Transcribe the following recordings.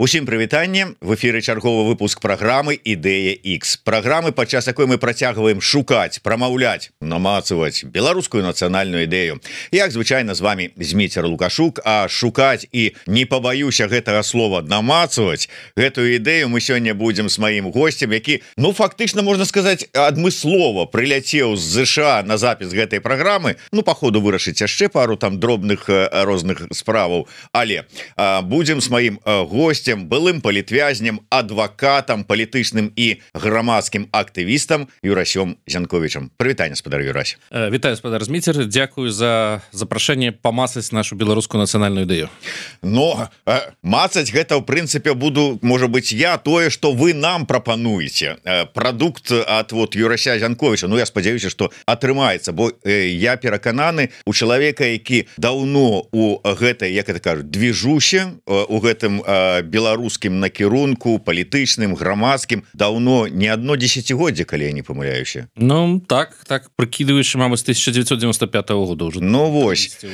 Усім прывітанне, в эфіры чарговы выпуск праграмы Ідэя X. Праграмы, падчас якой мы працягваем шукаць, прамаўляць, намацаваць беларускую нацыянальную ідэю. Як звычайна з вами Зміцер Лукашук, а шукаць і не пабаюся гэтага слова намацаваць гэтую ідэю мы сёння будзем з маім госцем, які, фактычна можна сказаць, адмыслова прыляцеў з ЗША на запіс гэтай праграмы. Па ходу вырашыць яшчэ пару там дробных розных справаў, але будзем з маім госцем, былым палітвязнем, адвакатам, палітычным і грамадскім актывістам Юрасем Зянковічам. Прывітанне, спадар Юрась. Вітаю, спадар Зміцер, дзякую за запрашэнне памацаць нашу беларускую нацыянальную ідэю. Мацаць гэта, ў прынцыпе, буду, можа быць, я тое, што вы нам прапануеце. Прадукт ад Юрася Зянковіча, я спадзяюся, што атрымаецца, бо я перакананы у чалавека, які даўно у гэтай, як это кажуць, движуще, у гэтым беларускім накірунку, палітычным, грамадскім, даўно не одно десятигоддзе, калі я не памыляюся. Так, прыкідваючы, мабыць, 1995 года уже. Вось.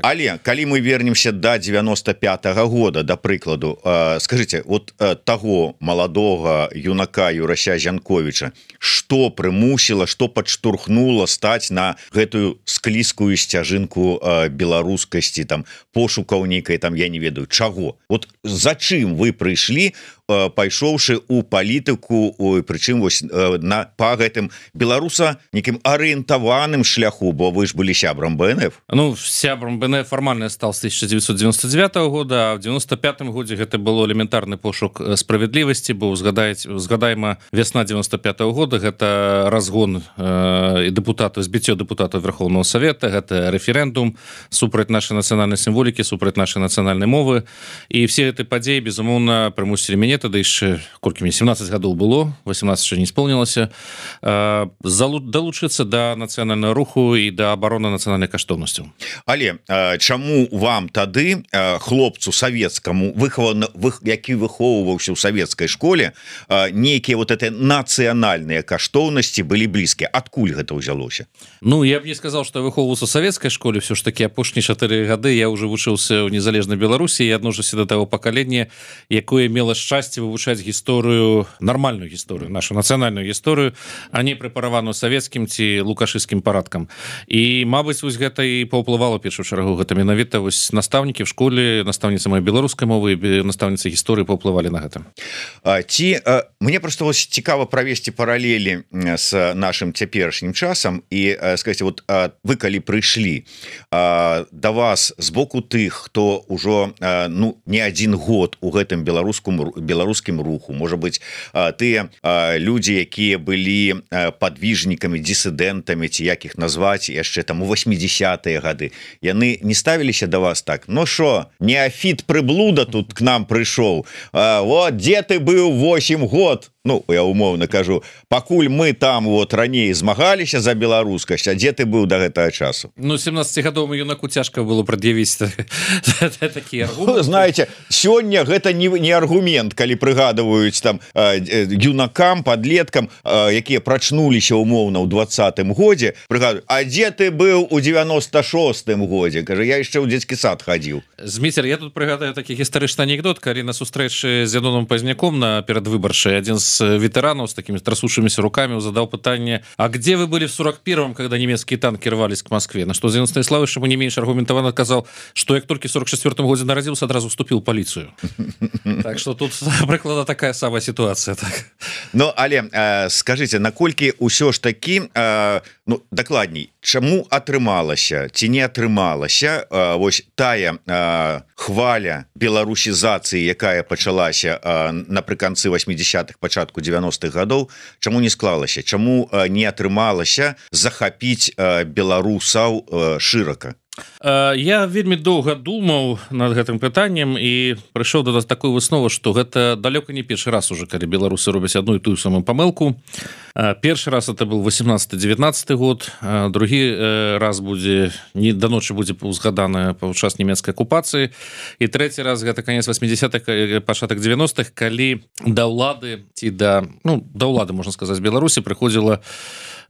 Але, калі мы вернемся до 95-го года, да прыкладу, скажите, таго маладога юнака Юрася Зянковіча, што прымусіла, што падштурхнула стаць на гэтую склізкую сцяжынку беларускасці, там, пошукаў нейкай, там, я не ведаю, чаго? За чым вы прыйшлі, пайшоўшы ў палітыку, прычым па гэтым беларуса некім арыентаваным шляху, бо вы ж былі сябрам БНФ. Сябрам БНФ фармальна стал з 1999 года, а в 95 годзе гэта было элементарны пошук справядлівасці, бо згадаема вясна 95 года, гэта разгон дэпутатаў, збіццё дэпутатаў Верховного Совета, гэта рэферэндум супраць нашай нацыянальнай сімволікі, супраць нашай нацыянальнай мовы, і все гэты падзеі, безумоўна, прымусілі мяне, тады яшчэ, колькі мне, 17 гадоў было, 18 яшчэ не исполнілася, далучыцца да нацыянальнага руху і да абароны нацыянальнай каштоўнасцяў. Але чаму вам тады, хлопцу савецкаму, які выхоўваўся ў савецкай школе, нейкія эти нацыянальныя каштоўнасці былі блізкія? Адкуль гэта ўзялося? Я б не сказал, што я выхоўваўся ў савецкай школе, все ж таки апошнія 4 гады я уже вучыўся ў незалежнай Беларусі і адношуся до таго пакалення, якое мела шчасце вывучаць гісторыю, нармальную гісторыю, нашу нацыянальную гісторыю, а не прэпараваную савецкім ці лукашысцкім парадкам. І, мабыць, гэта і паўплывала першую чаргу. Гэта менавіта настаўнікі в школе, настаўніцы моей беларускай мовы і настаўніцы гісторыі паўплывалі на гэта. Мне просто цікава правесці паралелі з нашым цяперашнім часам і сказаць, вы калі прыйшлі да вас з боку тых, хто ўжо не один год у гэтым беларускім руху, можа быць, тыя людзі, якія былі падвижнікамі, дысідэнтамі, ці як іх назваць яшчэ там у 80-е гады, яны не ставіліся да вас так: шо, неафіт прыблуда тут к нам прыйшоў, дзе ты быў 8 год? Я умоўна кажу, пакуль мы там раней змагаліся за беларускасць, а дзе ты быў да гэтага часу? 17-гадовому юнаку цяжка было прад'явіць такі аргумент. Знаете, сёння гэта не аргумент, калі прыгадваюць там юнакам, падлеткам, якія прачнуліся умоўна ў 20-м годзе, прыгадваюць: а дзе ты быў у 96-м годзе? Кажа, я яшчэ ў дзецкі сад хадзіў. Зміцер, я тут прыгадаю такі гістарычны анекдот, калі на сустрэчы з Яноном Пазняком на перадвыбаршай адзін з ветеранов с такими трясущимися руками задал питание: а где вы были в 41-м, когда немецкие танки рвались к Москве? На что Зенон Станиславович ему не меньше аргументованно сказал, что я только в 44-м году народился, сразу вступил в полицию. Так что тут прыклада такая самая ситуация. Але скажите, наколькі ўсё ж таки, дакладней, чаму атрымалася ці не атрымалася тая хваля беларусізацыі, якая пачалася напрыканцы 80-х, пачатку 90-х гадоў, чаму не склалася, чаму не атрымалася захапіць беларусаў шырака? Я вельмі доўга думаў над гэтым пытаннем і прыйшоў да такой высновы, што гэта далёка не першы раз уже, калі беларусы робяць адну і тую самую памылку. Першы раз это был 18-19 год, другі раз будзе да ночы будзе узгадана падчас нямецкай акупацыі, і трэці раз гэта канец 80-х, пачатак 90-х, калі да ўлады ці да ўлады, можна сказаць, Беларусі прыходзіла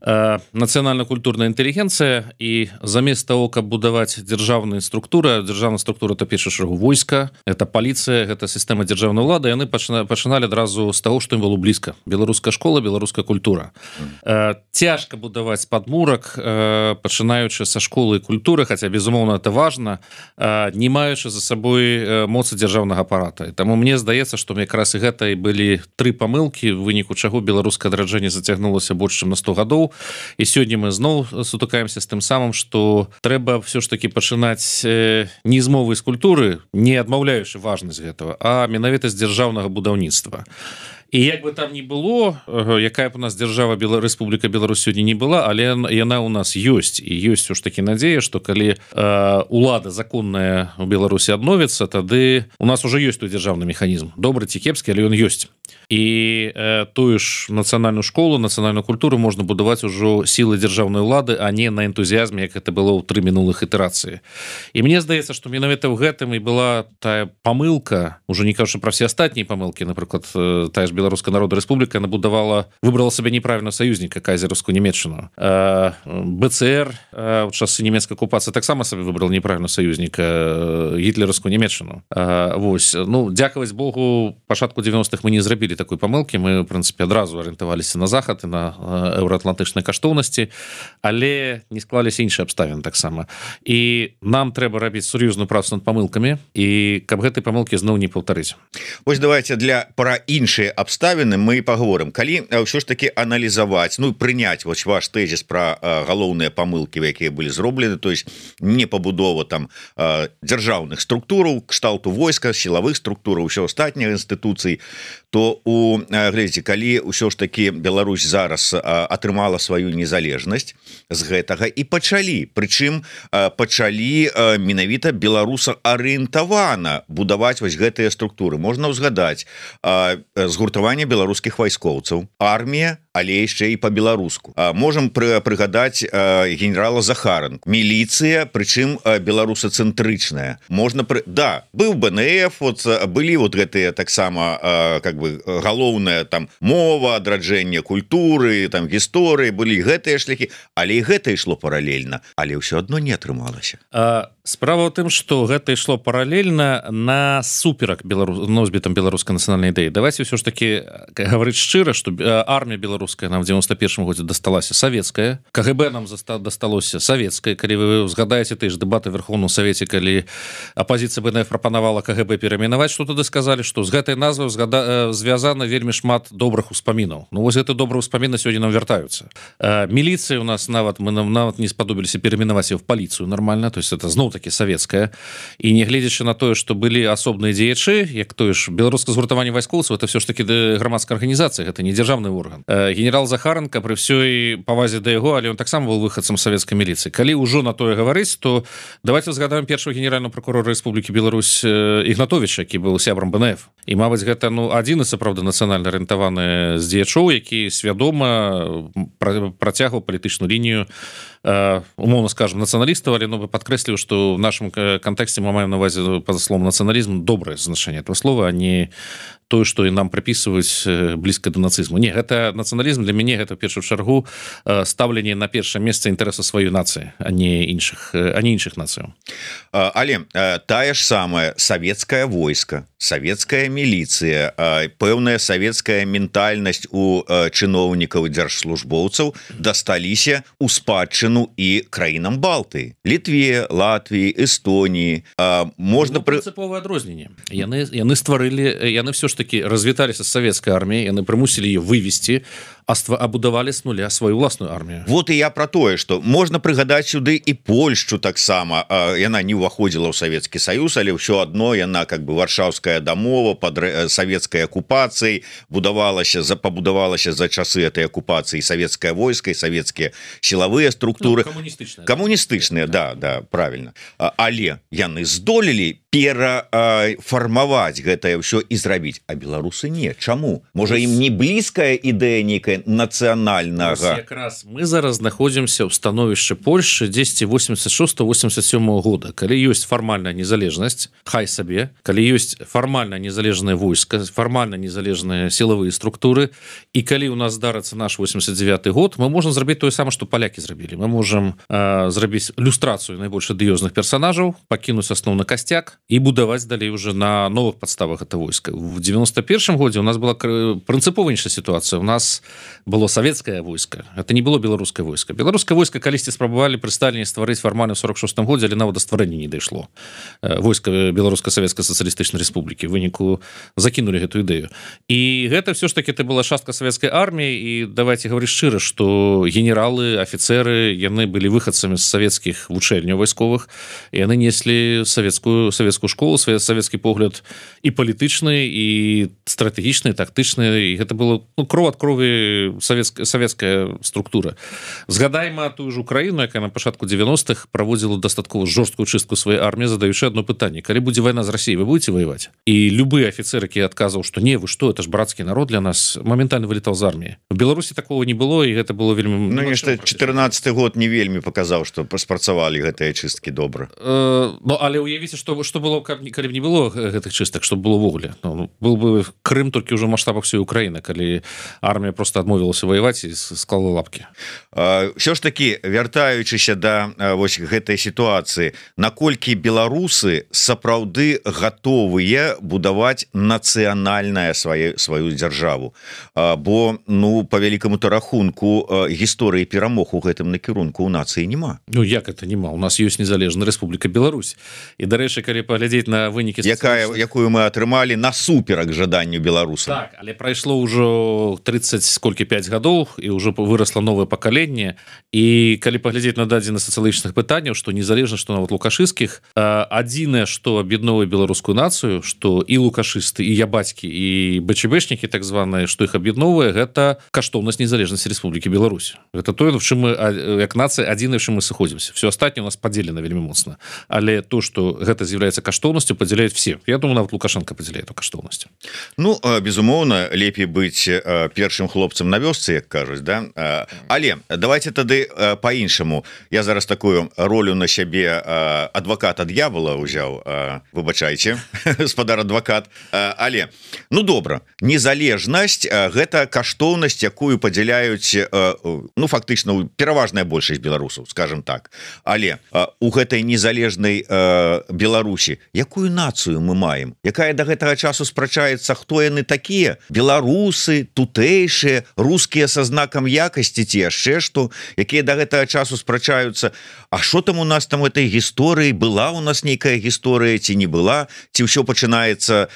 нацыянальна-культурная інтэлігенцыя, і замест того, каб будаваць дзяржаўная структура то першую чаргу войска, это паліцыя, гэта сістэма дзяржаўнай улады, яны пачыналі адразу з таго, што ім было блізка. Беларуская школа, беларуская культура. Цяжка будаваць падмурак, пачынаючы са школы і культуры, хаця безумоўна это важна, не маючы за сабой моцы дзяржаўнага апарата. І таму мне здаецца, што якраз і гэта і былі 3 памылкі, в выніку чаго беларускае адраджэнне зацягнулася больш чым на 100 гадоў. І сёння мы зноў сутыкаемся з тым самым, што трэба все ж таки пачынаць не з мовы, з культуры, не адмаўляючы важнасць гэтага, а менавіта з дзяржаўнага будаўніцтва. І як бы там ни было, якая б у нас дзяржава Рэспубліка Беларусь сёння не была, але яна у нас ёсць. І ёсць ўж такі надзея, што калі улада законная у Беларусі адновіцца, тады у нас уже ёсць той дзяржаўны механізм. Добры ці кепскі, але ён ёсць. І тую ж нацыянальную школу, нацыянальную культуру можна будаваць ужо сілы дзяржаўнай улады, а не на энтузіязме, як это было ў 3 мінулых ітэрацыі. І мне здаецца, што менавіта ў гэтым і была тая памылка, ужо не кажучы пра все астатнія памылкі, напрыклад, тая ж Беларуская Народная Рэспубліка, яна выбрала сабе неправільна саюзніка, кайзераўскую Нямецчыну. БЦР ў часы нямецкай акупацыі таксама сабе выбрала неправільна саюзніка, гітлераўскую Нямецчыну. Вось, ну, дзякаваць Богу, пачатку 90-х мы не зрабілі такой памылкі, мы, в прынцыпе, адразу арыентаваліся на захад і на еўраатлантычнай каштоўнасці, але не склаліся іншыя абставіны таксама. І нам трэба рабіць сур'ёзную працу над памылкамі, і каб гэтай памылкі зноў не паўтарыць. Вось давайте пра іншыя абставіны мы паговорым. Калі ўсё ж таки аналізаваць, ну, прыняць вось ваш тэзіс пра галоўныя памылкі, якія былі зроблены, то есть не пабудова там дзяржаўных структураў, кшталту войска, сілавых структураў, усё астатніх інстытуцый, то глядзіце, калі ўсё ж таки Беларусь зараз атрымала сваю незалежнасць з гэтага і пачалі, прычым пачалі менавіта беларусаарыентавана будаваць вось гэтыя структуры. Можна ўзгадаць згуртаванне беларускіх вайскоўцаў, армія, але яшчэ і па-беларуску. Можам прыгадаць генерала Захаранку, міліцыя, прычым беларусацэнтрычная. Можна да, быў БНФ, вот былі вот гэтыя таксама как бы галоўная там мова, адраджэнне культуры, там гісторыі, былі гэтыя шляхі, але і гэта ішло паралельна, але ўсё адно не атрымалася. Справа ў тым, што гэта ішло паралельна на суперак носьбітам беларускай нацыянальнай ідэі. Давайте ўсё ж таки гаварыць шчыра, што армія беларуская нам в 91-м годзе дасталася савецкая, КГБ нам дасталося савецкая. Калі вы згадаеце тыя ж дэбаты ў Верховным Савеце, калі апазіцыя БНФ прапанавала КГБ перайменаваць, што тады сказалі, што з гэтай назвай звязана вельмі шмат добрых успамінаў. Ну вось гэты добрыя ўспаміны сёння нам вяртаюцца. Міліцыя у нас нават не спадобіліся перайменаваць яе в паліцыю нормально, то есть это зноў-таки савецкая. І не гледзячы на тое, што былі асобныя дзеячы, як тое ж беларускае згуртаванне вайскоўцаў, это все ж таки грамадская арганізацыя, гэта не дзяржаўны орган. Генерал Захаранка, пры ўсёй павазе да яго, але он таксама быў выхадцам савецкай міліцыі. Калі ўжо на тое гаварыць, то давайте згадаем першого генерального прокурора Рэспублікі Беларусь Ігнатовіча, які быў сябрам БНФ. І мабыць гэта адзін і сапраўды нацыянальна арыентаваны з дзеячоў, які свядома працягваў палітычную лінію, умоўно скажем, нацыяналістаў, але падкрэсліваю, што в нашым кантэксце мы маем на увазе па-за словом нацыяналізм добрае значэнне этого слова, а не тое, што і нам прыпісваюць блізка да нацызму. Не, гэта нацыяналізм для мяне гэта ў першую чаргу стаўленне на першае месца інтарэса сваёй нацыі, а не іншых нацыяў. Але тая ж самая савецкае войска, савецкая міліцыя, пэўная савецкая ментальнасць у чыноўнікаў і дзяржслужбоўцаў дасталіся ў спадчыну і краінам Балтыі, Літве, Латвіі, Эстоніі. Можна прынцыповае адрозненне. Яны стварылі, яны все ж таки развіталіся з савецкай арміяй, яны прымусілі ее вывесці, абудавалі с нуля сваю ўласную армію. Вот і я про тое, што можна прыгадаць сюды і Польшчу таксама. Яна не ўваходзіла ў Савецкі Саюз, але ўсё адно яна как бы варшаўская дамова пад савецкай акупацыяй пабудавалася за часы этой акупацыі савецкае войска і савецкія сілавыя структуры. Камуністычныя, да, правильно. Але яны здолелі перафармаваць гэтае ўсё і зрабіць, а беларусы не. Чаму? Можа, ім не блізкая ідэя нейкая нацыянальнага? Якраз мы зараз знаходзімся ў становішчы Польшчы 1086-87 года, калі ёсць фармальная незалежнасць, хай сабе, калі ёсць фармальна незалежнае войска, фармальна незалежныя сілавыя структуры, і калі ў нас здарыцца наш 89 год, мы можам зрабіць тое самае, што палякі зрабілі. Мы можам зрабіць люстрацыю найбольш адыёзных персонажаў, пакінуць асноўны касцяк і будаваць далей уже на новых падставах гэта войска. В 91 годзе у нас была прынцыпова іншая сітуацыя. У нас было савецкае войска. Это не было беларускае войска. Беларускае войска калісьці спрабавалі пры Сталіне стварыць фармальна ў 46 годзе, але нават да стварэння не дайшло. Войска Беларуска-Савецкай сацыялістычнай рэспублікі в выніку закінулі гэту ідэю. І гэта все ж таки это была частка савецкай арміі, і давайте гаварыць шчыра, што генералы, афіцеры, яны былі выхадцамі з савецкіх вучэльняў вайсковых, і яны неслі савецкую школу, савецкі погляд і палітычны, і стратэгічны, тактычны, і гэта было кров ад крові савецкая структура. Згадайма тую ж Украіну, якая на пачатку 90-х праводзіла дастаткова жорсткую чыстку сваёй арміі, задаючы адно пытанне: калі будзе вайна з Расіяй, вы будете воевать? І любы афіцер, які адказваў, што не, вы што, это ж брацкі народ для нас, моментальна вылетаў з арміі. В Беларусі такого не было, і гэта было вельмі... Ну, нешта 14 год не вельмі паказаў, што спрацавалі гэтыя чысткі добра. Ну, але уявіце, што было, калі б не было гэтых чыстак, што было ввогуле. Был бы Крым толькі ўжо ў маштабах всей Украіны, калі армія просто адмовілася воеваць і склала лапкі. Ўсё ж такі, вяртаючыся да вось гэтай сітуацыі, наколькі беларусы сапраўды гатовыя будаваць нацыянальная сваю дзяржаву? Бо, ну, по вялікаму-то рахунку, гісторыі перамог у гэтым накірунку ў нацыі няма. Ну, як это няма? У нас ёсць незалежная Рэспубліка Беларусь. І, дарэчы, калі паглядзець на вынікі... Якую мы атрымалі насуперак жаданню беларусам. Так, але прайшло ўжо 35 гадоў, і ўжо вырасла новае пакаленне. І калі паглядзець на дадзены сацыялагічных пытанняў, што незалежна, што нават лукашысцкіх, адзінае, што аб'ядноўвае беларускую нацыю, што і лукашысты, і ябацькі, і БЧБшнікі, так званыя, што іх аб'ядноўвае, гэта каштоўнасць незалежнасці Рэспублікі Беларусь. Гэта тое, в чым мы, як нацыя, адзінае, в чым мы сыходзімся. Все астатняе у нас падзелена вельмі моцна. Але то, што гэта з'яўляецца каштоўнасцю, падзяляюць все. Я думаю, нават Лукашенко падзяляе эту каштоўнасць. Ну, безумоўна, лепей быць першым хлопцам на вёсцы, як кажуць, да? Але давайте тады по-іншаму. Я зараз такую ролю на сябе адваката д'явола ўзяў. Выбачайце, гаспадар адвакат. Але, ну, добра, незалежнасць – гэта каштоўнасць, якую падзяляюць, ну, фактычна, пераважная большасць беларусаў, скажем так. Але у гэтай незалежнай Беларусі якую нацыю мы маем, якая да гэтага часу спрачаецца, хто яны такія? Беларусы, тутэйшыя, рускія са знакам якасці ці яшчэ што, якія да гэтага часу спрачаюцца, а што там у нас там этой гісторыі, была у нас нейкая гісторыя ці не была, ці ўсё пачынаецца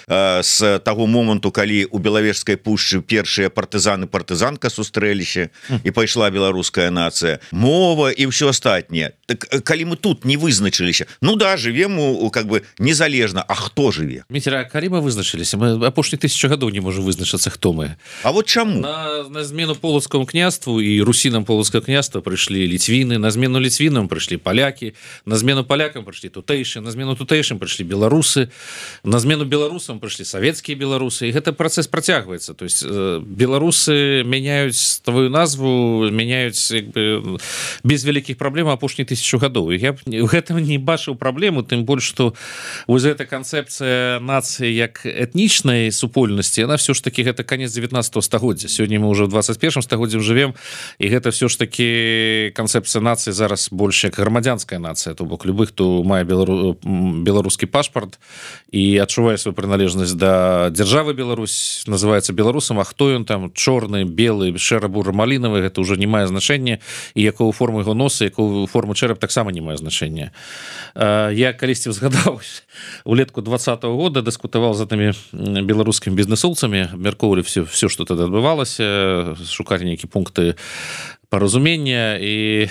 з таго моманту, калі у Белавежскай пушчы першыя партызанка сустрэліся і пайшла беларуская нацыя, мова і ўсё астатняе. Так калі мы тут не вызначыліся, ну да, жывем как бы незалежна, а хто жыве? Міцера, калі мы вызначыліся, мы апошні 1000 гадоў не можем вызначыцца, хто мы. А вот чаму? На змену полацкому княству і русінам полацкага княства прыйшлі ліцвіны, на змену ліцвінам прыйшлі палякі, на змену палякам прыйшлі тутэйшыя, на змену тутэйшым прыйшлі беларусы, на змену беларусам прыйшлі савецкія беларусы, і гэты працэс працягваецца. То есть беларусы мяняюць сваю назву, мяняюць без вялікіх праблем апошніх 1000 гадоў. Я в гэтым не бачыў праблему, тым больш, што вось эта канцэпцыя нацыі як этнічнай супольнасці, она все ж таки гэта канец 19 стагоддзя. Сёння мы уже в 21 стагоддзі жывем, і гэта все ж таки канцэпцыя нацыі зараз больш як грамадзянская нацыя, то бок любых, хто мае беларускі пашпарт і адчувае сваю прыналежнасць да дзяржавы Беларусь, называецца беларусам, а хто ён там, чорны, белы, шэра-бура-малінавы, гэта ўжо не мае значэння, і якую форму яго носа, якую форму чэрап таксама не мае значэння. Я калісьці згадаў, улетку 20-го года дыскутаваў з гэтымі беларускімі бізнесоўцамі, абмяркоўвалі все, што тады адбывалася, шукалі нейкія пункты паразумення і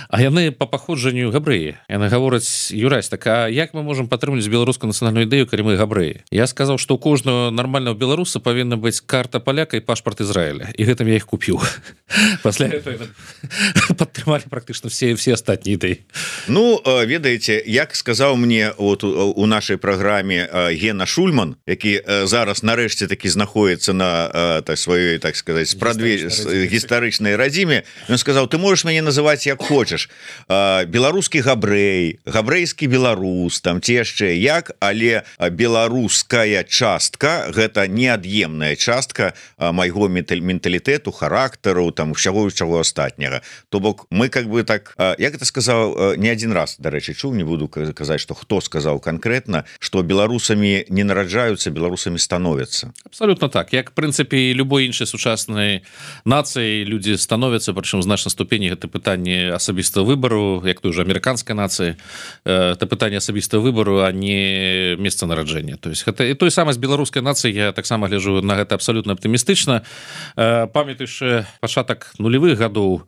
а яны по паходжанню габрэі. Яны гавораць: Юрась, так а як мы можам падтрымліваць беларускую нацыянальную ідэю, калі мы габрэі? Я сказаў, што ў кожнага нармального беларуса павінна быць карта паляка і пашпарт Ізраіля, і гэтым я іх купіў. Пасля этого падтрымалі практычна все астатнія ідэі. Ну, ведаеце, як сказаў мне вот у нашай праграме Гена Шульман, які зараз нарэшце такі знаходіцца на сваёй, так сказаць, гістарычнай радзіме, ён сказаў: ты можаш мяне называць як хочаш, беларускі габрэй, габрэйскі беларус, там ці яшчэ як, але беларуская частка — гэта неад'емная частка майго менталітэту, характару, там усяго чаго астатняга. То бок мы как бы так, як это сказаў не адзін раз, дарэчы, чуў, не буду казаць, што хто сказаў канкрэтна, што беларусамі не нараджаюцца, беларусамі становяцца. Абсолютно так. Як, в прынцыпе, любой іншай сучаснай нацыі людзі становяцца, прычым значна ступені. Гэта пытанне асабістага выбару, як той же амерыканскай нацыі. Это пытанне асабістага выбару, а не месца нараджэння. То есть гэта і той самай з беларускай нацыі. Я таксама гляджу на гэта абсолютно аптымістычна. Памятаючы пачатак нулевых гадоў,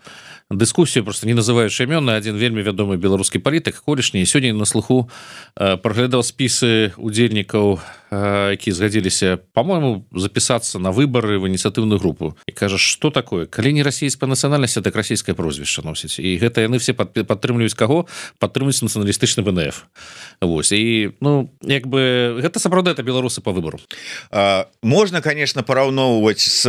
дыскусію, просто не называючы імёны, адзін вельмі вядомы беларускі палітык, колішні, сёння на слуху праглядаў спісы удзельнікаў, якія згадзіліся, по-моему, запісацца на выбары в ініцыятыўную групу. І кажа, што такое? Калі не расійская нацыянальнасць, так расійскае прозвішча носіць. І гэта яны все падтрымліваюць каго? Падтрымліваюць нацыяналістычны ВНФ. Вось. І, ну, як бы, гэта сапраўды это беларусы по выбору. Можна, конечно, параўноўваць з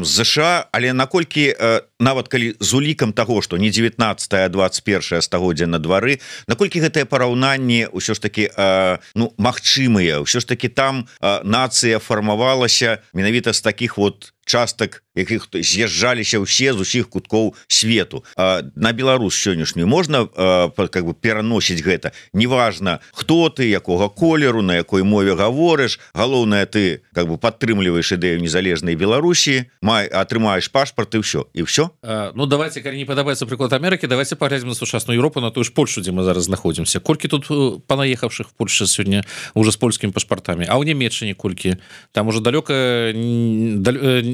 ЗША, але наколькі нават калі з улікам таго, што не 19, а 21 стагоддзя на двары, наколькі гэтае параўнанне ўсё ж таки магчымыя, ўсё ж таки там нацыя фармавалася менавіта з такіх вот частак, якіх з'язджаліся ўсе з усіх куткоў свету. На Беларусь сённяшнюю можна как бы пераносіць гэта. Неважна, хто ты, якога колеру, на якой мове гаворыш, галоўнае, ты как бы падтрымліваеш ідэю незалежнай Беларусі, атрымаеш пашпарт і ўсё. І ўсё? Ну, давайте, калі не падабаецца прыклад Амерыкі, давайте паглядзім на сучасную Еўропу, на тую ж Польшу, дзе мы зараз знаходзімся. Колькі тут панаехавшых в Польше сёння уже з польскімі пашпартамі? А ў Нямецчыне колькі? Там уже далёка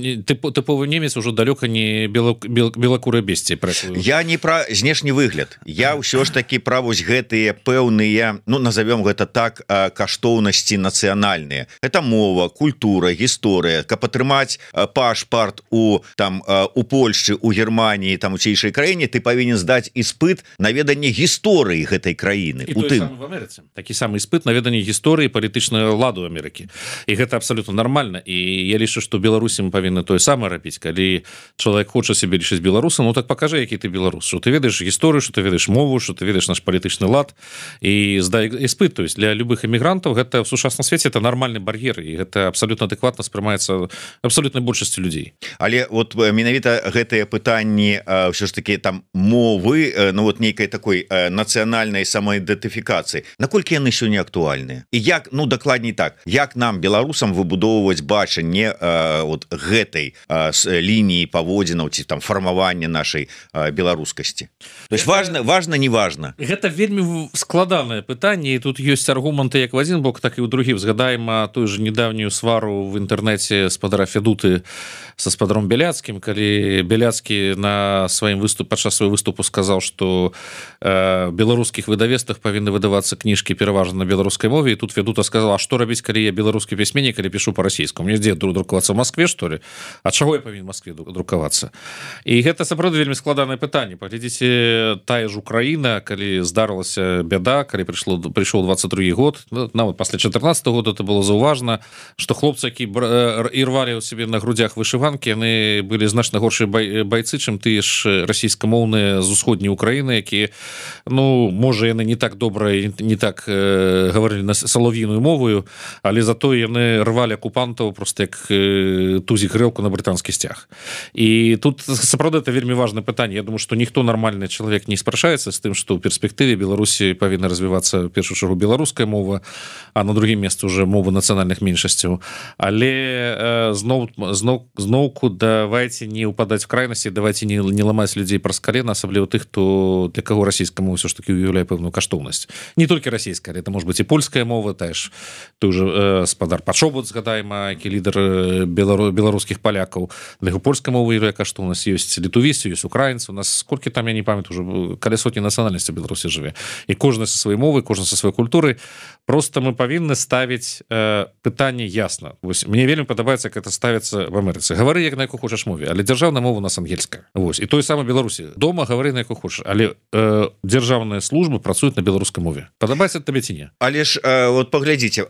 тыповы немец уже далёка не белакурыя бесці. Я не пра знешні выгляд. Я ўсё ж такі пра вось гэтыя пэўныя, ну, назовём гэта так, каштоўнасці нацыянальныя. Это мова, культура, гісторыя. Каб атрымаць пашпарт у Польшчы, у Германії, там у цейшай краіне, ты павінен здаць іспыт на веданне гісторыі гэтай краіны. І той самы в Амерыцы. Такі самы іспыт на веданне гісторыі палітычнага ладу Амерыкі. І гэта абсолютно нормально. І я лічу, што Беларусі мы павінны тое самае рабіць. Калі чалавек хоча себе лічыць беларусам, ну так пакажы, які ты беларус, што ты ведаеш гісторыю, што ты ведаеш мову, што ты ведаеш наш палітычны лад, і здай іспыт. То есть для любых эмігрантаў гэта в сучасным свеце это нормальны бар'ер, і гэта абсолютно адэкватна спрымаецца абсолютнай большасцю людзей. Але вот менавіта гэтыя пытанні ўсё ж таки там мовы, ну вот нейкай такой нацыянальнай самаідэнтыфікацыі, наколькі яны сёння актуальныя? І як, ну дакладней так, як нам, беларусам, выбудоўваць бачанне вот гэтай лініі паводзінаў ці там фармавання нашай беларускасці? То есть важна, не важна. Гэта вельмі складанае пытанне, і тут ёсць аргументы як в адзін бок, так і ў другі. Згадаем тую же недавнюю свару в інтэрнэце спадара Федуты са спадаром Бяляцкім, калі Бяляцкі на сваім выступе, падчас свайго выступу сказаў, што беларускіх выдавецтвах павінны выдавацца кніжкі пераважна на беларускай мове, і тут Федута сказала: а што рабіць, калі я беларускі пісьменнік, калі пішу па-расійску? Мне дзе друкавацца в Москве, што ли? А чаго я павінен в Москве друкавацца? І гэта сапраўды вельмі складанае пытанне. Паглядзіце, тая ж Украіна, калі здарылася бяда, калі прыйшоў 22 год, нават пасля 14 года это было заўважна, што хлопцы, які ірвалі ў сябе на грудзях вышыванкі, яны былі значна горшыя байцы, чым тыя ж расійскамоўныя з усходняй Украіны, якія, ну, можа, яны не так добра, не так гаварылі на салов'іную мовою, але затое яны рвалі акупантаў просто як тузік грэлку на брытанскі сцяг. І тут сапраўды это вельмі важнае пытанне. Я думаю, што ніхто нармальны чалавек не спрачаецца з тым, што ў перспектыве Беларусі павінна развівацца в першую чаргу беларуская мова, а на другім месцы уже мовы нацыянальных меншасцяў. Але зноўку давайте не ўпадаць в крайнасці, давайте не ламаць людзей праз калена, асабліва тых, хто для каго расійская мова ўсё ж таки уяўляе пэўную каштоўнасць. Не толькі расійская, але это может быть і польская мова, та ж той же спадар Пачобут, згадаем, які лідар беларускіх беларускіх палякаў, для яго польскай мовы яка што у нас ёсць літувісы, ёсць украінцы, у нас колькі там, я не памятаю, уже каля сотні нацыянальнасцей Беларусі жыве, і кожны са сваёй мовы, кожны са сваёй культуры. Просто мы павінны ставіць пытанне ясна. Вось мне вельмі падабаецца, як это ставіцца в Амерыцы. Гавары як на яку хочаш мове, але дзяржаўная мова у нас ангельская. Вось і той самы Беларусі. Дома гавары на яку хочаш, але дзяржаўныя службы працуюць на беларускай мове. Падабаецца табе ці не? Але ж вот паглядзіце,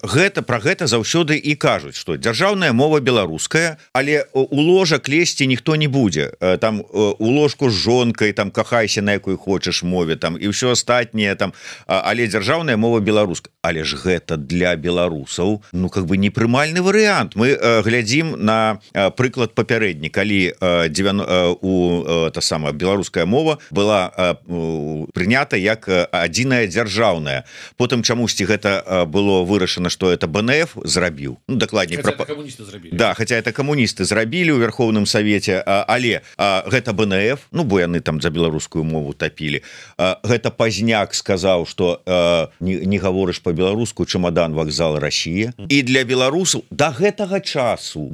пра гэта заўсёды і кажуць, што дзяржаўная мова беларуская, але у ложак лезці ніхто не будзе. Там у ложку з жонкай, там кахайся на якой хочаш мове, там і ўсё астатняе там, але дзяржаўная мова беларуская. Але ж гэта для беларусаў, ну как бы непрымальны варыянт. Мы глядзім на прыклад папярэдні, калі та самая беларуская мова была прынята як адзіная дзяржаўная. Потым чамусьці гэта было вырашана, што это БНФ зрабіў. Ну, дакладней, да, хаця это камуністы зрабілі ў Верховным Савеце, але гэта БНФ, ну бо яны там за беларускую мову тапілі. Гэта Пазняк сказаў, што не гаворыш по-беларуску, чемодан, вакзал, Россия. І для беларусаў до гэтага часу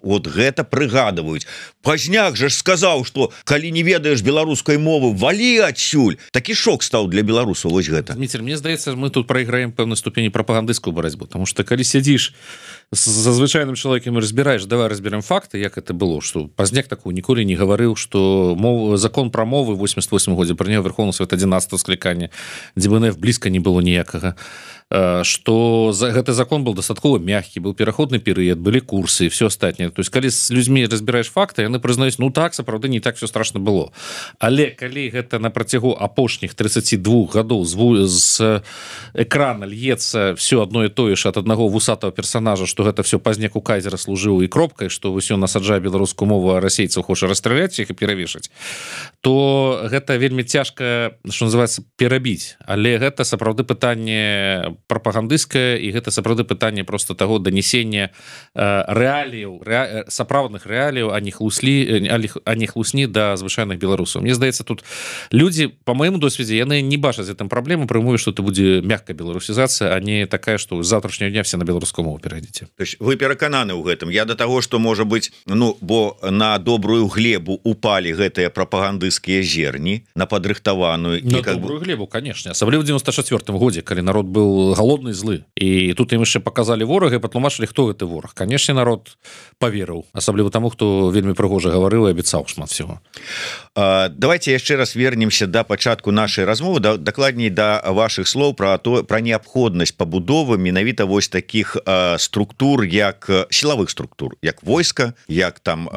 вот гэта прыгадваюць. Пазняк же ж сказаў, што калі не ведаеш беларускай мовы, валі адсюль. Такі шок стаў для беларусаў. Вось гэта. Дмитрий, мне здаецца, мы тут прайграем пэўнай ступені прапагандысцкую барацьбу, потому что калі сядзіш за звычайным чалавекам і разбіраеш, давай разберем факты, як это было, што Пазняк такого ніколі не гаварыў, што закон пра мовы 88 годзе прыняў Верховны Совет 11 склікання, дзе БНФ блізка не было ніякага, што гэты закон был дастаткова мягкі, был пераходны перыяд, былі курсы і все астатняе. То есть калі з людзьмі разбіраеш факты, яны прызнаюць, ну так, сапраўды не так все страшно было. Але калі гэта на працягу апошніх 32 гадоў з экрана льецца все одно і тое ж ад аднаго вусатого персонажа, што гэта все Пазняк у кайзера служыў і кропкай, што ўсё насаджае беларускую мову, а расейцаў хоча расстраляць іх і перавешаць, то гэта вельмі цяжка, што называецца, перабіць. Але гэта сапраўды пытанне прапагандысцкае, і гэта сапраўды пытанне просто таго данесення рэаліяў, сапраўдных рэаліяў, а не хлусні да звычайных беларусаў. Мне здаецца, тут людзі, по моему досведзе, яны не бачаць гэтым праблему, пры умове, што это будзе мягкая беларусізацыя, а не такая, што з завтрашняго дня все на беларускую мову перайдзеце. То есть вы перакананы ў гэтым. Я да таго, што можа быць, ну, бо на добрую глебу упалі гэтыя прапагандысцкія зерні, на падрыхтаваную. На добрую глебу, конечно. Асабліва ў 94-м годзе, калі народ быў голодны, злы. І тут ім яшчэ паказалі ворага і патлумачылі, хто гэты вораг. Канешне, народ паверыў. Асабліва таму, хто вельмі прыгожа гаварыў і абяцаў шмат всего. Давайте яшчэ раз вернемся да пачатку нашай размовы, дакладней да вашых слоў пра неабходнасць пабудовы менавіта вось такіх структур, як сілавых структур, як войска, як там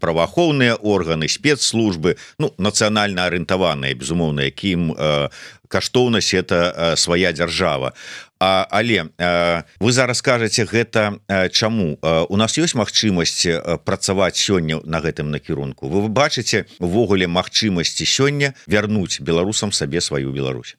праваахоўныя органы, спецслужбы, ну, нацыянальна арыентаваныя, безумоўна, якім каштоўнасць это свая дзяржава. Але вы зараз кажаце гэта чаму? У нас ёсць магчымасць працаваць сёння на гэтым накірунку? Вы бачыце увогуле магчымасці сёння вярнуць беларусам сабе сваю Беларусь?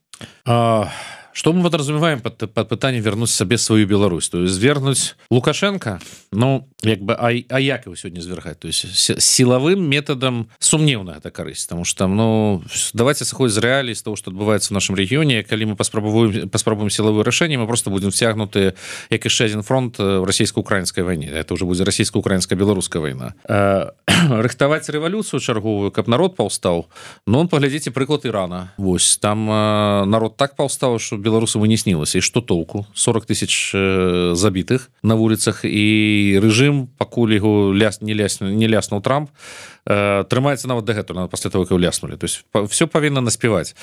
Что мы подразумеваем под пытанием вернуть себе свою Беларусь? То есть вернуть Лукашенко, ну, як бы, а як его сегодня свергать? То есть силовым методом сумневная эта корысть, потому что, ну, давайте сходить з реалий, з того, что отбывается в нашем регионе, коли мы паспробуем силовое решение, мы просто будем втягнуты, як еще один фронт в российско-украинской войне. Это уже будет российско-украинско-белорусская война. Рыхтовать революцию черговую, как народ повстал, ну, поглядите прыклад Ирана. Вось, там народ так повстал, что беларусам и не снілася. І што толку? 40 тысяч забітых на вуліцах, і рэжым, пакуль яго не ляснуў Трамп, трымаецца нават дагэтуль, пасля того, як ляснули. То есть все павінна наспеваць.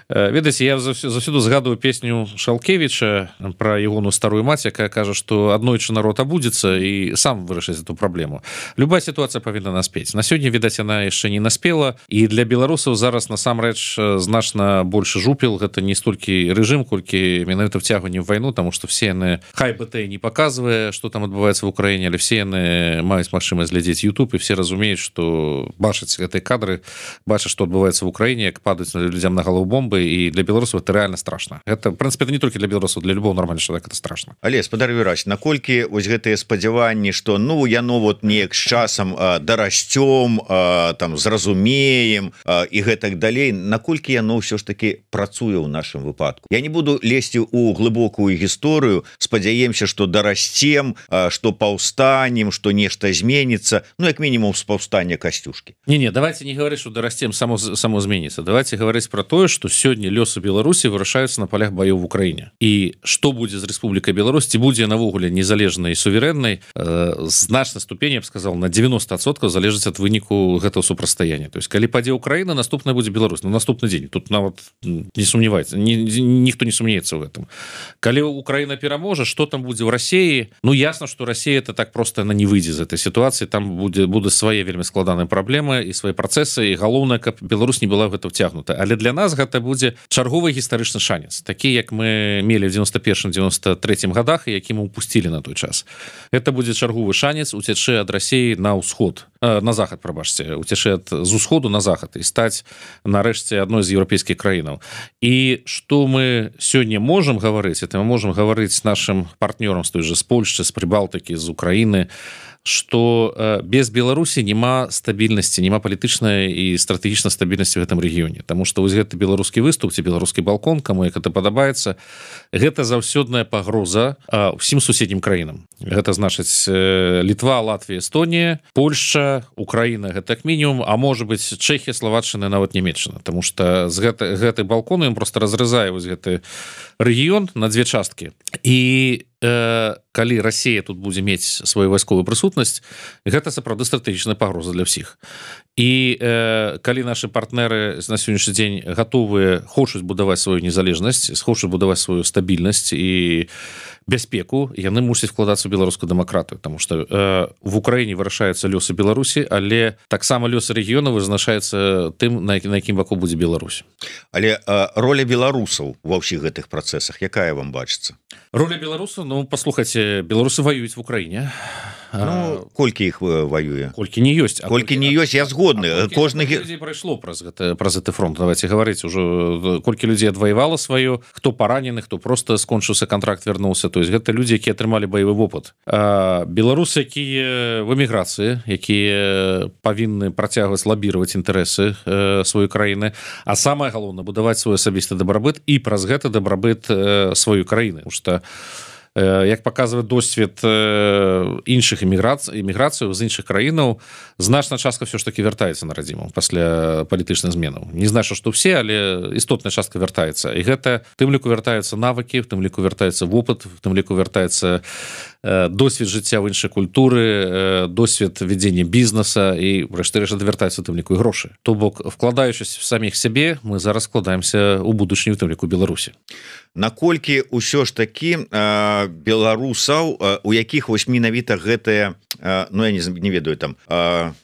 Ведаеце, я заўсёды згадываю песню Шалкевіча про ягоную старую мать, якая кажа, што аднойчы народ абудзіцца і сам вырашыць эту праблему. Любая сітуацыя павінна наспець. На сёння, відаць, яна яшчэ не наспела, і для беларусаў зараз насамрэч значна больш жупел. Гэта не столькі рэжым, колькі менавіта вцягванне в вайну, таму што все яны, хай БТ не паказвае, што там адбываецца в Украіне, але все яны маюць магчымасць глядзець YouTube, і все разумеюць, што хто бачыць гэтыя кадры, бачыць, што адбываецца ў Украіне, як падаюць людзям на галаву бомбы, і для беларусаў это реально страшна. Это, в прынцыпе, не толькі для беларусаў, для любого нормального чалавека это страшна. Але спадар Юраш, наколькі вось гэтыя спадзяванні, што ну яно вот неяк з часам дарасцём, там зразумеем і гэтак далей, наколькі яно ўсё ж таки працуе ў нашым выпадку? Я не буду лезці ў глыбокую гісторыю, спадзяемся, што дарасцем, што паўстанем, што нешта зменіцца, ну як мінімум з паўстання Касцюшкі. Не, давайте не говорить, что дорастем само зменится. Давайте говорить про то, что сегодня лёсы Беларуси вырашаются на полях боев в Украине. И что будет с Республикой Беларусь, ці будзе навогуле незалежнай и суверенной, значной ступени, я бы сказал, на 90% залежить от выніку гэтага супрацьстаяння. То есть, калі падзе Украина, наступная будет Беларусь. На наступный день. Тут нават не сомневается. Никто не сомневается в этом. Калі Украина пераможа, что там будет в России? Ну, ясно, что Россия это так просто она не выйдзе из этой ситуации. Там будут свои вельмі складаныя праблемы і свае працэсы, і галоўнае, каб Беларусь не была в гэта вцягнута. Але для нас гэта будзе чарговы гістарычны шанец, такі як мы мелі в 91-93 годах, які мы упусцілі на той час. Это будзе чарговы шанец уцячы ад Расіі на ўсход, на захад, прабачце, уцячы з усходу на захад і стаць нарэшце адной з еўрапейскіх краінаў. І што мы сёння можам гаварыць, это мы можам гаварыць з нашым партнёрам, з той же з Польшчы, з Прыбалтыкі, з Украіны, что без Беларусі няма стабільнасці, няма палітычнай і стратэгічнай стабільнасці в гэтым рэгіёне. Таму што вось гэты беларускі выступ ці беларускі балкон, каму як это падабаецца, гэта заўсёдная пагроза ўсім суседнім краінам. Гэта значыць Літва, Латвія, Эстонія, Польшча, Украіна, гэта як мінімум, а можа быць Чэхія, Славаччына, нават Нямецчына. Таму што з гэты балкон ён проста разрызае вось гэты рэгіён на дзве часткі. І калі Расія тут будзе мець сваю вайсковую прысутнасць, гэта сапраўды стратэгічная пагроза для ўсіх. І калі нашы партнеры на сённяшні дзень гатовыя, хочуць будаваць сваю незалежнасць, хочуць будаваць сваю стабільнасць і бяспеку, яны мусяць вкладацца ў беларускую дэмакратыю, таму што в Украіне вырашаюцца лёсы Беларусі, але таксама лёсы рэгіёна вызначаецца тым, на якім баку будзе Беларусь. Але роля беларусаў ва ўсіх гэтых працэсах якая вам бачыцца? Роля беларусаў, ну, паслухайце, беларусы воююць в Украіне. Ну, колькі іх воюе? Колькі не ёсць. Колькі не ёсць, я згодны. Колькі людзей прайшло праз гэты фронт, давайте гаварыць ужо, колькі людзей адваявала сваё, хто паранены, хто просто скончыўся контракт, вярнуўся. То есть гэта людзі, якія атрымалі баявы вопыт. Беларусы, якія в эміграцыі, якія павінны працягваць лабіраваць інтарэсы сваёй краіны, а самае галоўнае будаваць свой асабісты дабрабыт і праз гэта дабрабыт сваёй краіны. Потому что як паказвае досвед іншых эміграцыяў з іншых краінаў, значная частка ўсё ж таки вяртаецца на радзіму пасля палітычных зменаў. Не значыць, што ўсе, але істотная частка вяртаецца. І гэта в тым ліку вяртаюцца навыкі, в тым ліку вяртаецца вопыт, в тым ліку вяртаецца досвед жыцця ў іншай культуры, досвед вядзення бізнеса і рэшты-рэшт вяртаецца в тым ліку і грошы. То бок, вкладаючись в саміх сябе, мы зараз складаемся ў будучыню, в тым ліку Беларусі. Наколькі ўсё ж такі беларусаў, у якіх вось менавіта гэтая, ну я не ведаю, там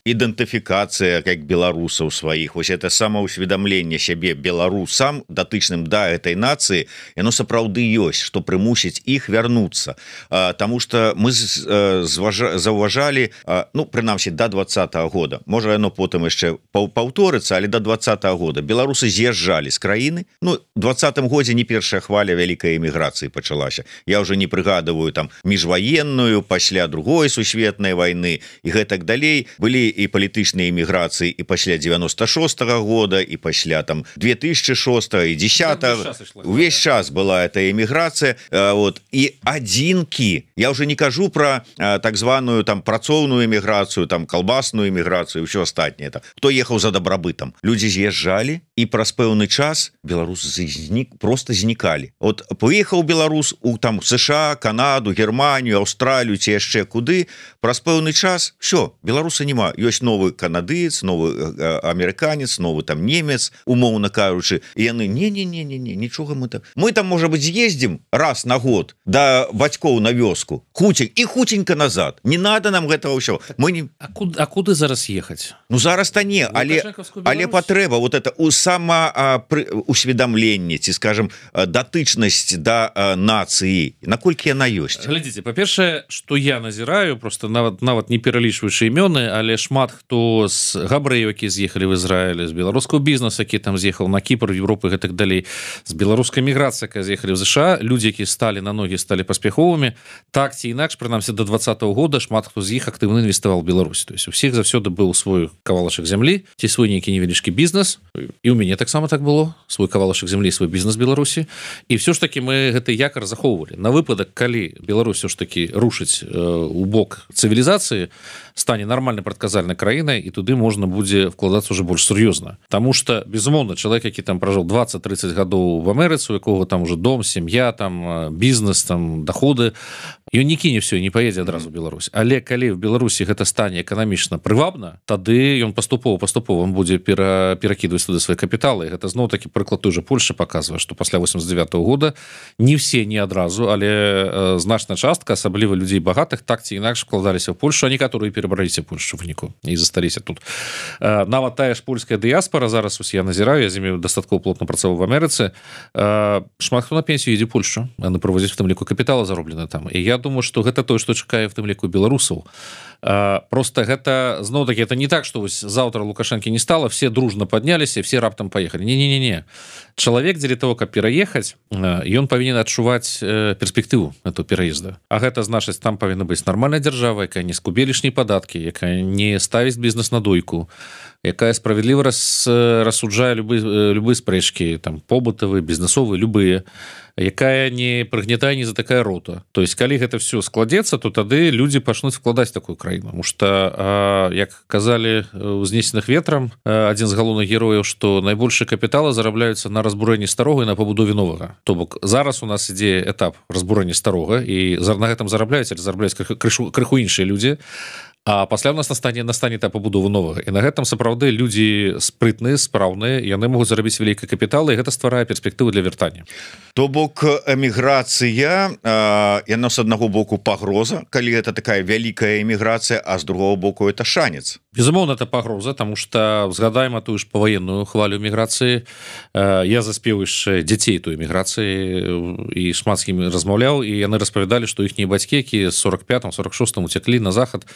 ідэнтыфікацыя як беларусаў сваіх, вось это самаўсведамленне сябе беларусам, датычным да этой нацыі, яно сапраўды ёсць, што прымусіць іх вярнуцца. Таму што мы заўважалі, ну прынамсі да 20-го года, можа яно потым яшчэ паўторыцца, але да 20-го года беларусы з'язджалі з краіны. Ну, у 20-м годзе не першая хваля вялікай эміграцыі пачалася. Я ўжо не прыгадываю там міжваенную, пасля другой сусветнай вайны і гэтак далей. Былі і палітычныя эміграцыі і пасля 96-го года, і пасля там 2006-го і 10-го. Увесь час была эта эміграцыя. Вот. І адзінкі, я ўжо не кажу пра так званую там працоўную эміграцыю, там калбасную эміграцыю, ўсё астатняе. Хто ехаў за дабрабытам? Людзі з'язджалі, і праз пэўны час беларусы просто знікалі. Вот поехаў беларус у там США, Канаду, Германію, Аўстралію ці яшчэ куды, праз пэўны час все, беларуса няма. Ёсць новы канадыец, новы амерыканец, новы там немец, умоўна кажучы, і яны не, нічога мы там можа быць з'ездзім раз на год да бацькоў на вёску, хутенька назад. Не надо нам гэтага ўсё. Мы не... А куды зараз ехаць? Ну зараз-то не, але патрэба вот это самаусведамленне ці скажем датычнасць да нацыі наколькі яна ёсць? Глядзіце, па-першае, што я назіраю, просто нават не пералічваючы імёны, але шмат хто з габрэяў, які з'ехалі в Ізраіль, з беларускага бізнесу, які там з'ехаў на Кіпр, Европы і гэтак далей, з беларускай міграцыі, якая з'ехалі в ЗША, людзі, які сталі на ногі, сталі паспяховымі, так ці інакш, прынамсі до 2020 года шмат хто з іх актыўна інвеставаў у Беларусі. То есть у всіх заўсёды быў свой кавалачак зямлі, ці свой нейкі невялічкі бізнес, і ў мяне таксама так было, свой кавалачак зямлі, свой бізнес Беларусі, і все ж таки мы гэты якар захоўвалі. На выпадак, калі Беларусь все ж таки рушыць у бок цывілізацыі, стане нармальнай прадказальнай краінай, і туды можна будзе вкладацца уже больш сур'ёзна. Таму што, безумоўна, чалавек, які там пражыў 20-30 гадоў в Амерыцы, у якога там уже дом, сям'я, там бізнес, там доходы, ён не кіне все, не паедзе адразу в Беларусь. Але калі в Беларусі гэта стане эканамічна прывабна, тады ён паступова он будзе перакідваць туды свае капіталы. І гэта зноў-такі прыклад той же Польшчы паказвае, што пасля 89 года не все, не адразу, але значная частка, асабліва людзей багатых, так ці інакш вкладаліся в Польшу, а некаторыя перабраліся в Польшу выніку і засталіся тут. Нават тая ж польская дыяспора, зараз ось я назіраю, я з імі дастаткова плотна працаваў в Амерыцы, шмат хто на пенсію едзе Польшу, яны проводзяць в тым ліку капітала зароблены там. І я думаю, што гэта тое, што чакае в тым ліку беларусаў. Просто гэта, зноў-такі, это не так, што вось заўтра Лукашэнкі не стала, все дружно падняліся, все раптам паехалі. Не-не-не. Чалавек дзеля того, каб пераехаць, ён павінен адчуваць перспектыву этого пераезда. А гэта значыць, там павінна быць нармальная дзяржава, якая не скубе лішнія падаткі, якая не ставіць бізнес на дойку, якая справядліва рассуджае любыя спрэчкі, там побытавыя, бізнесовыя, любыя, якая не прыгнятае, не затыкае рота. То есть, калі гэта все складзецца, то тады людзі пачнуць вкладаць такую краіну. Потому што, як казалі у «Знесеных ветрам», адзін з галоўных герояў, што найбольшыя капіталы зарабляюцца на разбурэнні старога і на пабудове новага. То бок, зараз у нас ідзе этап разбурэння старога, і на гэтым зарабляюць, але зарабляюць крыху іншыя людзі. А пасля у нас настане этап пабудовы новага. І на гэтым сапраўды людзі спрытныя, спраўныя, яны могуць зарабіць вялікі капітал, і гэта стварае перспектыву для вяртання. То бок эміграцыя, яна з аднаго боку пагроза, калі гэта такая вялікая эміграцыя, а з другого боку это шанец. Безумоўна, это пагроза, таму што згадаем тую ж паваенную хвалю эміграцыі. Я заспеў яшчэ дзяцей той эміграцыі і шмат з імі размаўляў, і яны распавядалі, што іхнія бацькі, якія 45-46 уцеклі на захад,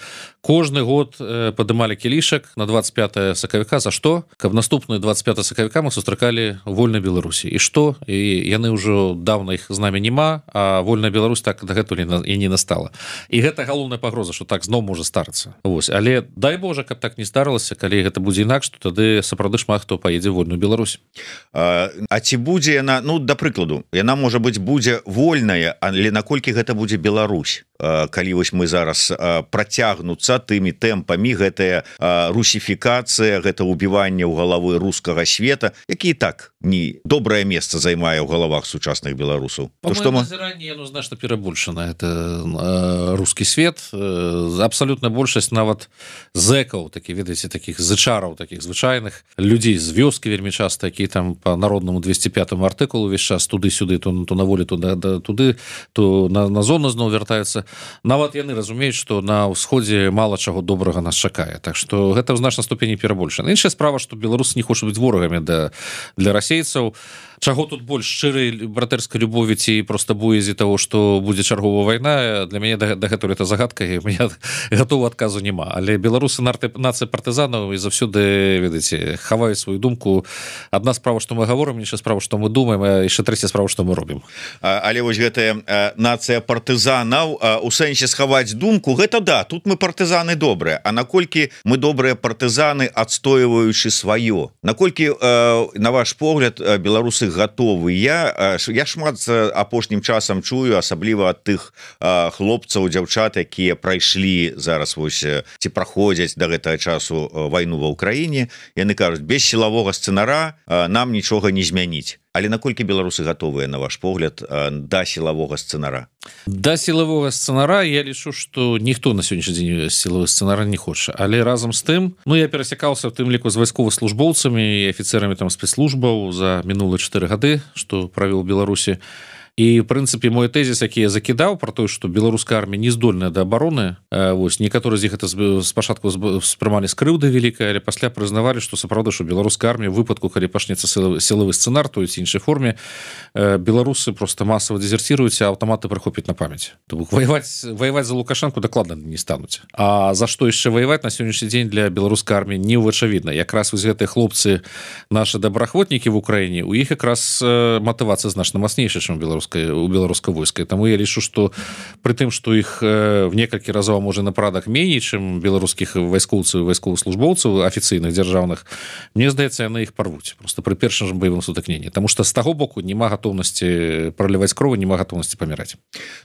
кожны год падымалі кілішак на 25 сакавіка. За што? Каб наступны 25 сакавіка мы сустракалі вольнай Беларусі. І што? І яны ўжо даўна іх з намі няма, а вольная Беларусь так дагэтуль і не настала. І гэта галоўная пагроза, што так зноў можа старыцца. Вось. Але дай Божа, каб так не старалася, калі гэта будзе інакш, то тады сапраўды шмат хто паедзе вольную Беларусь. А ці будзе яна, ну, да прыкладу, яна, можа быць, будзе вольная, але наколькі гэта будзе Беларусь? Калі вось мы зараз працягнуцца тымі тэмпамі, гэтая русіфікацыя, гэта ўбіванне ў галавы рускага света, які так не добрае месца займае ў галавах сучасных беларусаў. По-моему, назіранне, ну, значна перабольшана. Это рускі свет. Абсалютна большасць нават зэкаў, такі, ведаеце, такіх зычараў, такіх звычайных людзей з вёскі вельмі часта, які там по народнаму 205 артыкулу увесь час туды-сюды, то на волі, то туды, то на зону зноў вяртаюцца. Нават яны разумеюць, што на ўсходзе мала чаго добрага нас чакае. Так што гэта ў значнай ступені перабольшана. Іншая справа, што беларусы не хочуць быць ворагамі для расейцаў. Чаго тут больш шчырай братэрскай любові ці проста боязі таго, што будзе чарговая вайна, для мяне дагэтуль это загадка, і мне гатовага адказу няма. Але беларусы нацыя партызанаў і заўсёды, ведаеце, хаваюць сваю думку. Адна справа, што мы гаворым, іншая справа, што мы думаем, а яшчэ трэцяя справа, што мы робім. Але вось гэтая нацыя партызанаў у сэнсе схаваць думку, гэта да, тут мы партызаны добрыя, а наколькі мы добрыя партызаны, адстойваючы сваё? Наколькі, на ваш погляд, беларусы гатовы? Я шмат апошнім часам чую, асабліва ад тых хлопцаў, дзяўчат, якія прайшлі зараз вось ці праходзяць да гэтага часу вайну ва ўкраіне. Яны кажуць, без сілавога сцэнара нам нічога не змяніць. Але наколькі беларусы гатовыя, на ваш погляд, да сілавога сцэнара? Да сілавога сцэнара я лічу, што ніхто на сённяшні дзень сілавы сцэнара не хоча. Але разам з тым, ну, я перасякаўся в тым ліку з вайсковаслужбоўцамі і афіцэрамі там спецслужбаў за мінулыя 4 гады, што правіў у Беларусі. І, в прынцыпе, мой тэзіс, які я закідаў пра тое, што беларуская армія не здольная да абароны, Вось некаторыя з іх это спачатку спрымалі з крыўды вялікай, але пасля прызнавалі, што сапраўды, што беларуская армія ў выпадку, калі пачнецца сілавы сцэнар той ці іншай форме, беларусы просто масава дезерціруюць, а аўтаматы прыхопяць на памяць. То бок ваяваць за Лукашенко дакладна не стануць. А за што яшчэ ваяваць на сённяшні дзень для беларускай арміі не ўвачавідна. Якраз вось гэтыя хлопцы, нашы добраахвотнікі в Украіне, у іх якраз матывацыя значна мацнейшая, чым у беларускай войскай. Таму я лічу, што пры тым, што іх в некалькі разоў, можа, на парадак меней, чым беларускіх вайскоўцаў і вайсковых службоўцаў афіцыйных дзяржаўных, мне здаецца, яны іх парвуць просто пры першым баявым сутыкненні. Таму што з таго боку няма гатоўнасці проліваць кровы, няма гатоўнасці паміраць.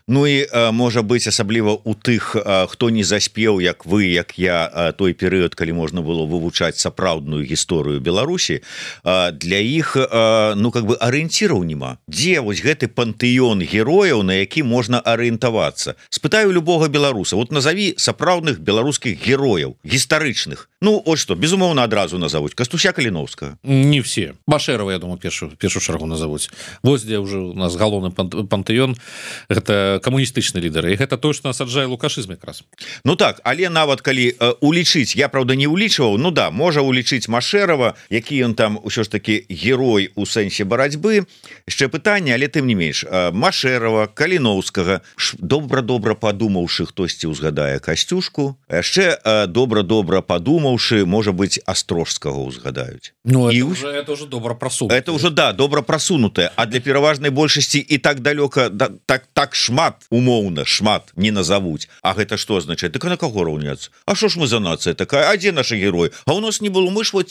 Ну і можа быць асабліва у тых, хто не заспеў, як вы, як я, той перыяд, калі можна было вывучаць сапраўдную гісторыю Беларусі, для іх ну как бы арыенціраў няма. Дзе вось гэты пантэён герояў, на які можна арыентавацца? Спытаю любога беларуса, вот назови сапраўдных беларускіх герояў гістарычных. Ну от што, безумоўна, адразу назовуць Кастуся Каліновскага. Не все. Башэрова, я думаю, першую чаргу назовуць. Вось дзе уже у нас галоўны пантэён, гэта камуністычны лідар, і гэта то, што насаджае лукашызм якраз. Ну так, але нават калі улічыць, я правда не улічваў, ну да, можа улічыць Машэрова, які ён там ўсё ж таки герой у сэнсе барацьбы. Яшчэ пытанне, але тым не менш, Машэрова, Каліновскага, добра-добра падумаўшы, хтосьці ўзгадае Касцюшку, яшчэ добра-добра падумаўшы, можа быць, Астрожскага ўзгадаюць. Ну это уже добра прасунутае. Это уже, да, добра прасунутае, а для пераважнай большасці і так далёка, так шмат, умоўна, шмат не назовуць. А гэта што азначае? Так на каго раўняцца? А што ж мы за нацыя такая? А дзе нашы героі? А у нас не было, мы ж вот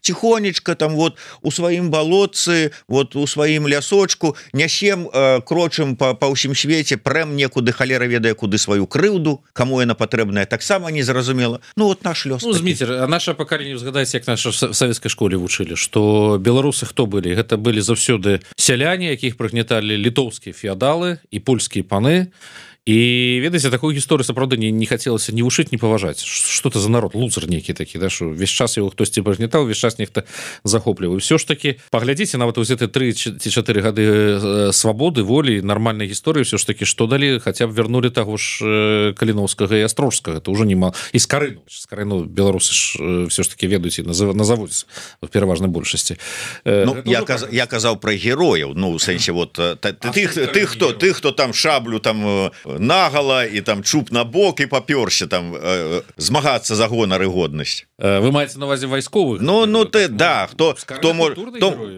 тихонечка там вот у сваім балотцы, вот у сваім лясочку нясем, крочым па ўсім свеце, прэм некуды, халера ведае куды сваю крыўду, каму яна патрэбная, таксама незразумела. Ну вот наш лёс. Ну, Зміцер, наше пакаленне, згадайце, як наша в савецкай школе вучылі, што беларусы хто былі? Гэта былі заўсёды сяляне, якіх прыгняталі літоўскія феадалы і польскія паны. І ведаеце, такую гісторыю сапраўды не хацелася ні вушыць, ні паважаць. Што это за народ, лузер нейкі такі, да, што ўвесь час яго хтосьці прыгнятаў, ўвесь час нехта захопліваў. Усё ж такі, паглядзіце, нават вось гэты 3 ці 4 гады свабоды, волі, нармальнай гісторыі, ўсё ж такі, што далі, хаця б вярнулі таго ж Каліновскага і Астрожскага, это ўжо нема. І Скарыну беларусы ж ўсё ж такі ведаюць і назавуць в пераважнай большасці. Ну, я казаў пра герояў, ну, у сэнсе, вот, тых, хто там шаблю там нагала і там чуб на бок і папёрся там змагацца за гонар і годнасць. Вы маеце на увазе вайсковых? Ну ты, да, хто можа...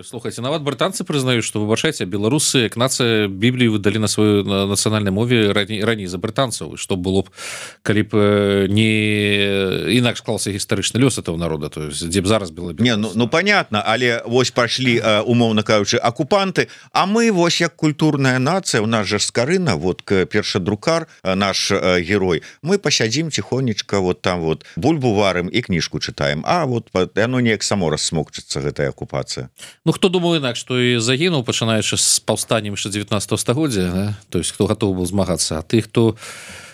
Слухайце, нават брытанцы прызнаюць, што, выбачайце, беларусы, як нацыя, Біблію выдалі на сваёй нацыянальнай мове раней за брытанцаў. Што было б, калі б не інакш склаўся гістарычны лёс этого народа, то есть, дзе б зараз было... Не, ну понятно, але вось пашлі, умоўна кажучы, акупанты, а мы вось як культурная нацыя, у нас жа Скарына, вот першадрукар, наш герой, мы пасядзім тихонечка, вот там вот бульбу варым і кніжку чытаем, а вот яно неяк само рассмокчыцца, гэтая акупацыя. Ну хто думаў інакш, што і загінуў, пачынаючы з паўстаннем яшчэ 19 стагоддзя, да? То есть хто гатовы быў змагацца, а ты, хто...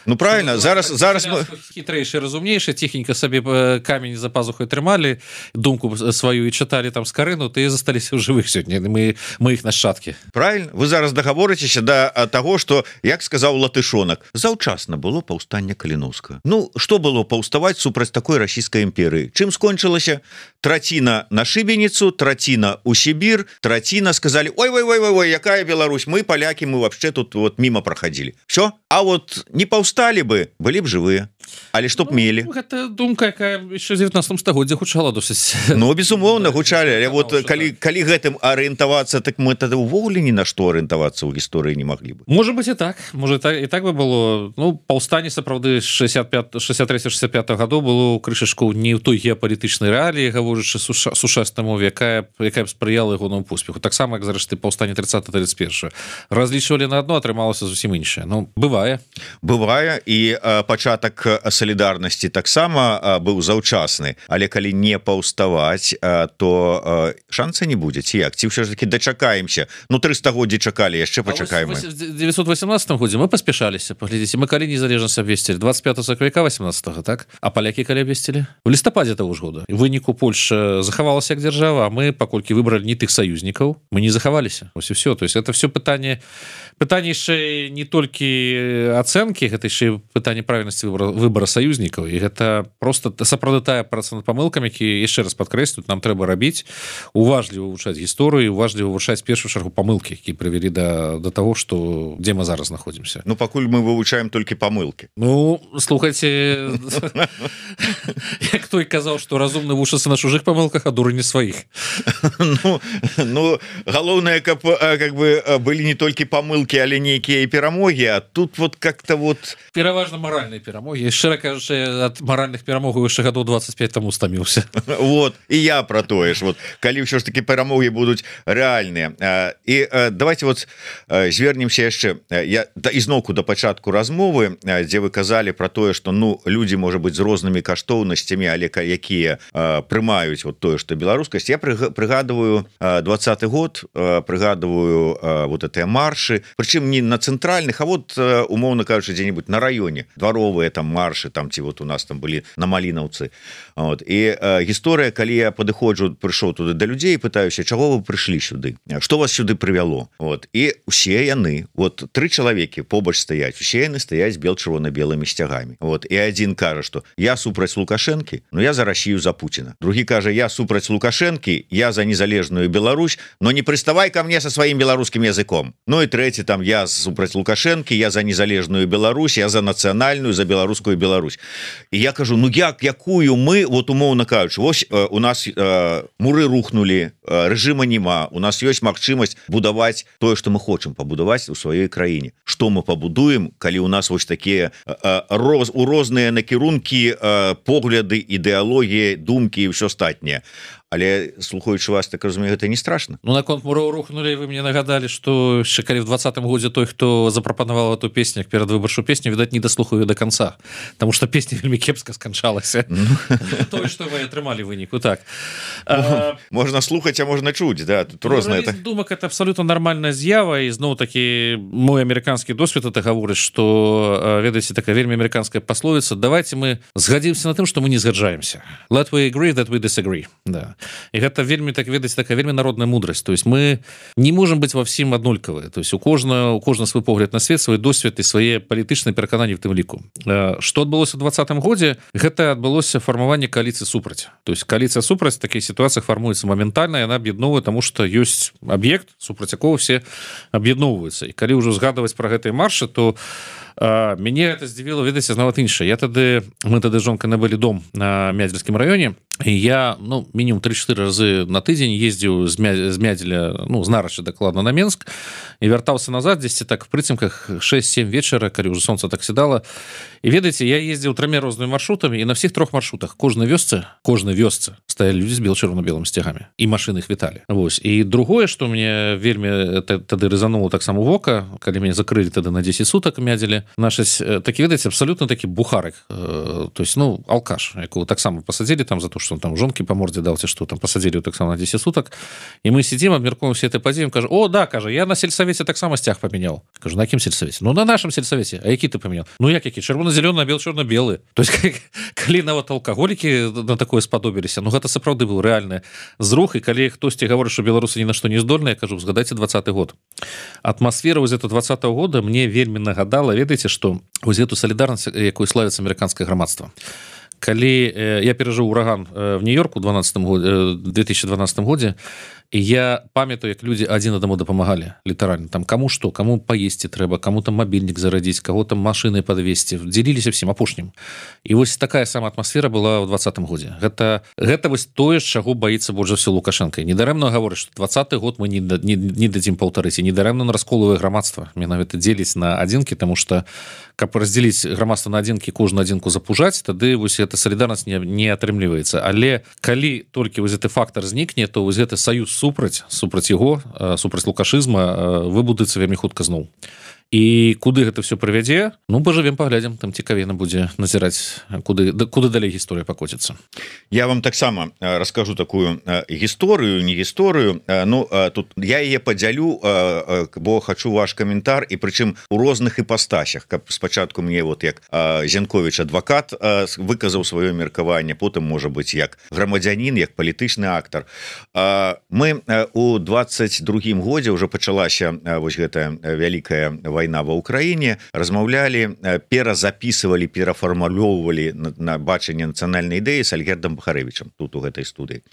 Ну правильно, зараз мы хітрэйшы, разумнейшы, ціхенька сабе камень за пазухай трымалі, думку сваю і чыталі там Скарыну, ты засталіся ў жывых сёння, мы іх нашчадкі. Правильно, вы зараз дагаворыцеся да таго, што, як сказаў Латышонак, заўчасна было паўстанне Каліновскага. Ну, што было паўставаць супраць такой расійскай імперыі? Чым скончылася? Траціна на Шыбеніцу, траціна ў Сібір, траціна сказалі: ой, якая Беларусь, мы палякі, мы вообще тут вот мимо проходили. Все, а вот не паўсталі бы, былі б жывыя. Але што б мелі? Гэта думка, якая яшчэ ў 19 стагоддзі гучала досыць. Ну, безумоўна, гучалі. Але вот калі гэтым арыентавацца, так мы тады ўвогуле ні на што арыентавацца ў гісторыі не маглі бы. Можа быць і так. Можа і так бы было. Ну, паўстанне сапраўды 63-65 гадоў было крышачку не ў той геапалітычнай рэаліі, гаворачы сучаснай мове, якая б спрыяла ягонаму поспеху. Таксама, як зрэшты, паўстанне 30-31. Разлічвалі на адно, атрымалася зусім іншае. Ну, бывае. Бывае, і пачатак салідарнасці таксама быў заўчасны, але калі не паўставаць, то шанса не будзе, ці як? Ці ўсё ж таки дачакаемся? Ну 3 стагоддзі чакалі, яшчэ пачакаем. В 918 годзе мы паспяшаліся, паглядзіце, мы калі незалежнасць абвесцілі 25 сакавіка 18, так? А палякі калі абвесцілі? У лістападзе таго ж года. У выніку Польша захавалася як дзяржава, а мы, паколькі выбралі не тых саюзнікаў, мы не захаваліся. Ось і все. То есть это все пытанне яшчэ не толькі ацэнкі, гэта яшчэ пытанне правільнасці выбару выбора саюзнікаў, і гэта просто сапраўды тая праца над памылкамі, які яшчэ раз падкрэслю, нам трэба рабіць, уважліва вывучаць гісторыю, уважліва вывучаць першую чаргу памылкі, які прывялі да таго, што дзе мы зараз знаходзімся. Ну пакуль мы вывучаем толькі памылкі. Ну слухайце, як той казаў, што разумны вучацца на чужых памылках, а дуры не сваіх. Ну галоўнае, каб как бы былі не толькі памылкі, але нейкія перамогі, а тут вот как-то вот пераважна маральныя перамогі. Шчыра кажучы, ад маральных перамогаў яшчэ гадоў 25 таму стаміўся. Вот і я про тое ж, вот калі ўсё ж таки перамогі будуць рэальныя. І давайте вот звернемся яшчэ ізноўку да пачатку размовы, дзе вы казалі про тое, што ну людзі можа быць з рознымі каштоўнасцямі, але якія прымаюць вот тое, што беларускасць. Я прыгадываю 20-й год, прыгадываю вот этыя маршы, прычым не на цэнтральных, а вот умоўна кажучы, дзе-нибудь на раёне дваровыя там маршы, там ці вот у нас там былі на Малінаўцы. Вот. І гісторыя, калі я падыходжу, прыйшоў туды да людзей, пытаюся, чаго вы прыйшлі сюды, што вас сюды прывяло. Вот. І усе яны, вот 3 чалавекі побач стаяць, усе яны стаяць бел-чырвона-белымі сцягамі. Вот. І адзін кажа, што я супраць Лукашэнкі, но я за Расію, за Пуціна. Другі кажа, я супраць Лукашэнкі, я за незалежную Беларусь, но не прыставай ко мне со сваім беларускім языком. Ну і трэці там, я супраць Лукашэнкі, я за незалежную Беларусь, я за нацыянальную, за беларускую Беларусь. І я кажу, ну якую мы, вот умоўна кажучы, вось у нас муры рухнули, рэжыма няма, у нас ёсць магчымасць будаваць тое, што мы хочам пабудаваць у сваёй краіне. Што мы пабудуем, калі у нас вось такія у розныя накірункі, погляды, ідэалогіі, думкі і ўсё астатняе. Але слухаючы вас, так разумею, гэта не страшно. Ну наконт муроў рухнули, вы мне нагадалі, што яшчэ калі в 20-м годзе той, хто запрапанаваў эту песню як перадвыбарчую песню, відаць, не даслухаю до конца, потому что песня вельмі кепска сканчалася. Тое, што вы атрымалі выніку, так. Можна слухаць, а можна чуць, да, тут рознае. Думак, это абсолютно нармальная з'ява, і зноў такі мой амерыканскі досвед это гаворыць, што, ведаеце, такая вельмі амерыканская пасловіца, давайте мы згадзімся на тым, што мы не згаджаемся. Let we agree that we disagree. Да. І гэта вельмі, так ведаць, такая вельмі народная мудрасць. То есть мы не можем быць ва всім аднолькавыя. То есть у кожна свой погляд на свет, свой досвед і свае палітычныя перакананні в тым ліку. Што адбылося ў 20-м годзе? Гэта адбылося фармаванне коаліцыі супраць. То есть коаліцыя супраць в такіх сітуацыях фармуецца моментальна, яна аб'ядноўвае, таму што ёсць аб'ект, супраць якога все аб'ядноўваюцца. І калі ўжо згадваць пра гэтыя маршы, то мяне это здзівіла, ведаеце, нават іншае. Мы тады жонкай набылі дом на Мядзельскім раёне, і я, ну, мінімум 3-4 разы на тыдзень ездзіў з Мядзеля, ну, з Нарача дакладна на Менск, і вяртаўся назад дзесьці так в прыцемках 6-7 вечара, калі ўжо сонца так сідала. І ведаеце, я ездзіў 3 рознымі маршрутамі, і на всіх 3 маршрутах кожнай вёсцы стаялі людзі з бел-чырвона-белымі сцягамі, і машыны іх віталі. Вось. І другое, што мне вельмі тады рэзанула таксама вока, калі мяне закрылі тады на 10 сутак Мядзелі, нашаць такі, ведаеце, абсалютна такі бухарык, то есть, ну, алкаш, якого таксама пасадзілі там за то, што он там жонкі па мордзе даў, ці што там пасадзілі таксама на 10 сутак, і мы сидзім, абмяркуем все это падзеем, кажа, о, да, кажа, я на сельсавеце таксама сцяг памяняў. Кажу, на якім сельсавеце? Ну, на нашым сельсавеце. А які ты памяняў? Ну, які? Чырвона-зялёны, а бел-чорна-белы. То есть, калі нават алкаголікі на такое спадобіліся, ну, гэта сапраўды быў рэальны зрух, і калі хтосьці гаворыць, што беларусы ні на што не здольныя, я кажу, згадайце 20-й год. Атмасфера вось этого 20-го года мне вельмі нагадала, ведаеце, што вось эту салідарнасць, якой славіцца амерыканскае грамадства. Калі я перажыў ураган в Нью-Йорку в 2012 годзе, і я памятаю, як людзі адзін аднаму дапамагалі, літаральна. Там каму што, каму паесці трэба, каму там мабільнік зарадзіць, каго там машыны падвесці, дзеліліся всім апошнім. І вось такая сама атмасфера была ў 20-м годзе. Гэта вось тое, чаго баіцца больш за ўсё Лукашэнка. Недарэмна гаворыць, што 20-й год мы не дадзім паўтарыць, і недарэмна расколвае грамадства. Менавіта дзеліць на адзінкі, таму што каб раздзеліць грамадства на адзінкі, кожную адзінку запужаць, тады вось эта салідарнасць не атрымліваецца. Але калі толькі вось гэты фактар знікне, то вось гэты саюз супраць яго, супраць лукашызма выбудуецца вельмі хутка зноў. І куды гэта все прывядзе? Ну, пажывем, паглядзім, там цікавей будзе назіраць, куды далей гісторыя пакоціцца. Я вам таксама раскажу такую гісторыю, не гісторыю. Ну, тут я яе падзялю, бо хачу ваш каментар, і прычым у розных іпастасях, каб спачатку мне вот як Зянковіч адвакат выказаў сваё меркаванне, потым можа быць як грамадзянін, як палітычны актар. Мы у 22-м годзе ўжо пачалася вось гэтая вялікая вайна ва ўкраіне, размаўлялі, перазапісывалі, перафармулёўвалі на бачанне нацыянальнай ідэі з Альгердам Бахарэвічам тут у гэтай студыі.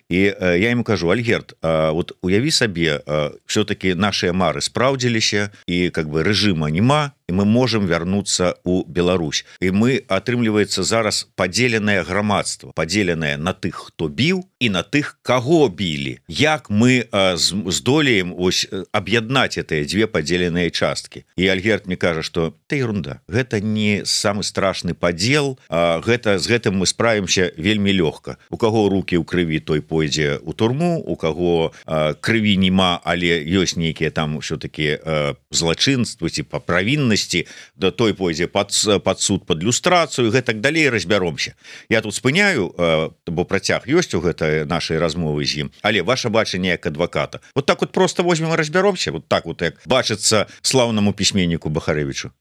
І я ему кажу: Альгерд, вот уяві сабе, все-таки наши мары спраўдзіліся і как бы рэжыма няма, і мы можем вярнуцца ў Беларусь. І мы, атрымліваецца, зараз падзеленае грамадства, падзеленае на тых, хто біў, і на тых, каго білі. Як мы здолеем аб'яднаць гэтыя дзве падзеленыя часткі? І Альгерд мне кажа, што это ерунда, гэта не самы страшны падзел, з гэтым мы справімся вельмі лёгка. У каго рукі ў крыві, той пойдзе ў турму, у каго крыві няма, але ёсць нейкія там все-таки злачынствы ці па правіннасці, да той пойдзе под суд, под люстрацыю, гэтак далей разбяромся. Я тут спыняю, бо працяг ёсць у гэтай нашай размовы з ім, але ваше бачанне як адваката. Вот так вот просто возьмем и разбяромся, вот так вот, як бачыцца слаўнаму пісьменніку Бахарэвічу.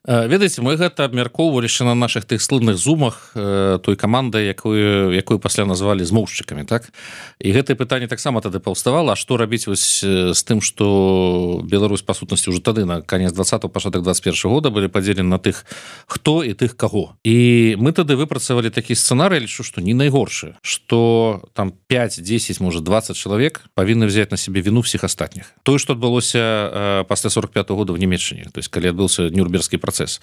Ведаеце, мы гэта абмяркоўваліся на наших тых слынных зумах той камандай, якую пасля назвалі змоўшчыкамі, так? І гэтае пытанне таксама тады паўставала, а што рабіць вось з тым, што Беларусь па сутнасці ўжо тады на канец 20-го, пачатак 21-го года былі падзелены на тых, хто і тых каго. І мы тады выпрацавалі такі сцэнарый, лічу, што не найгоршы, што там 5, 10, можа 20 чалавек павінны взять на себе віну всіх астатніх. Тое, што адбылося пасля 45-го года в Нямецчыне, то есть калі адбыўся Нюрнбергскі працэс.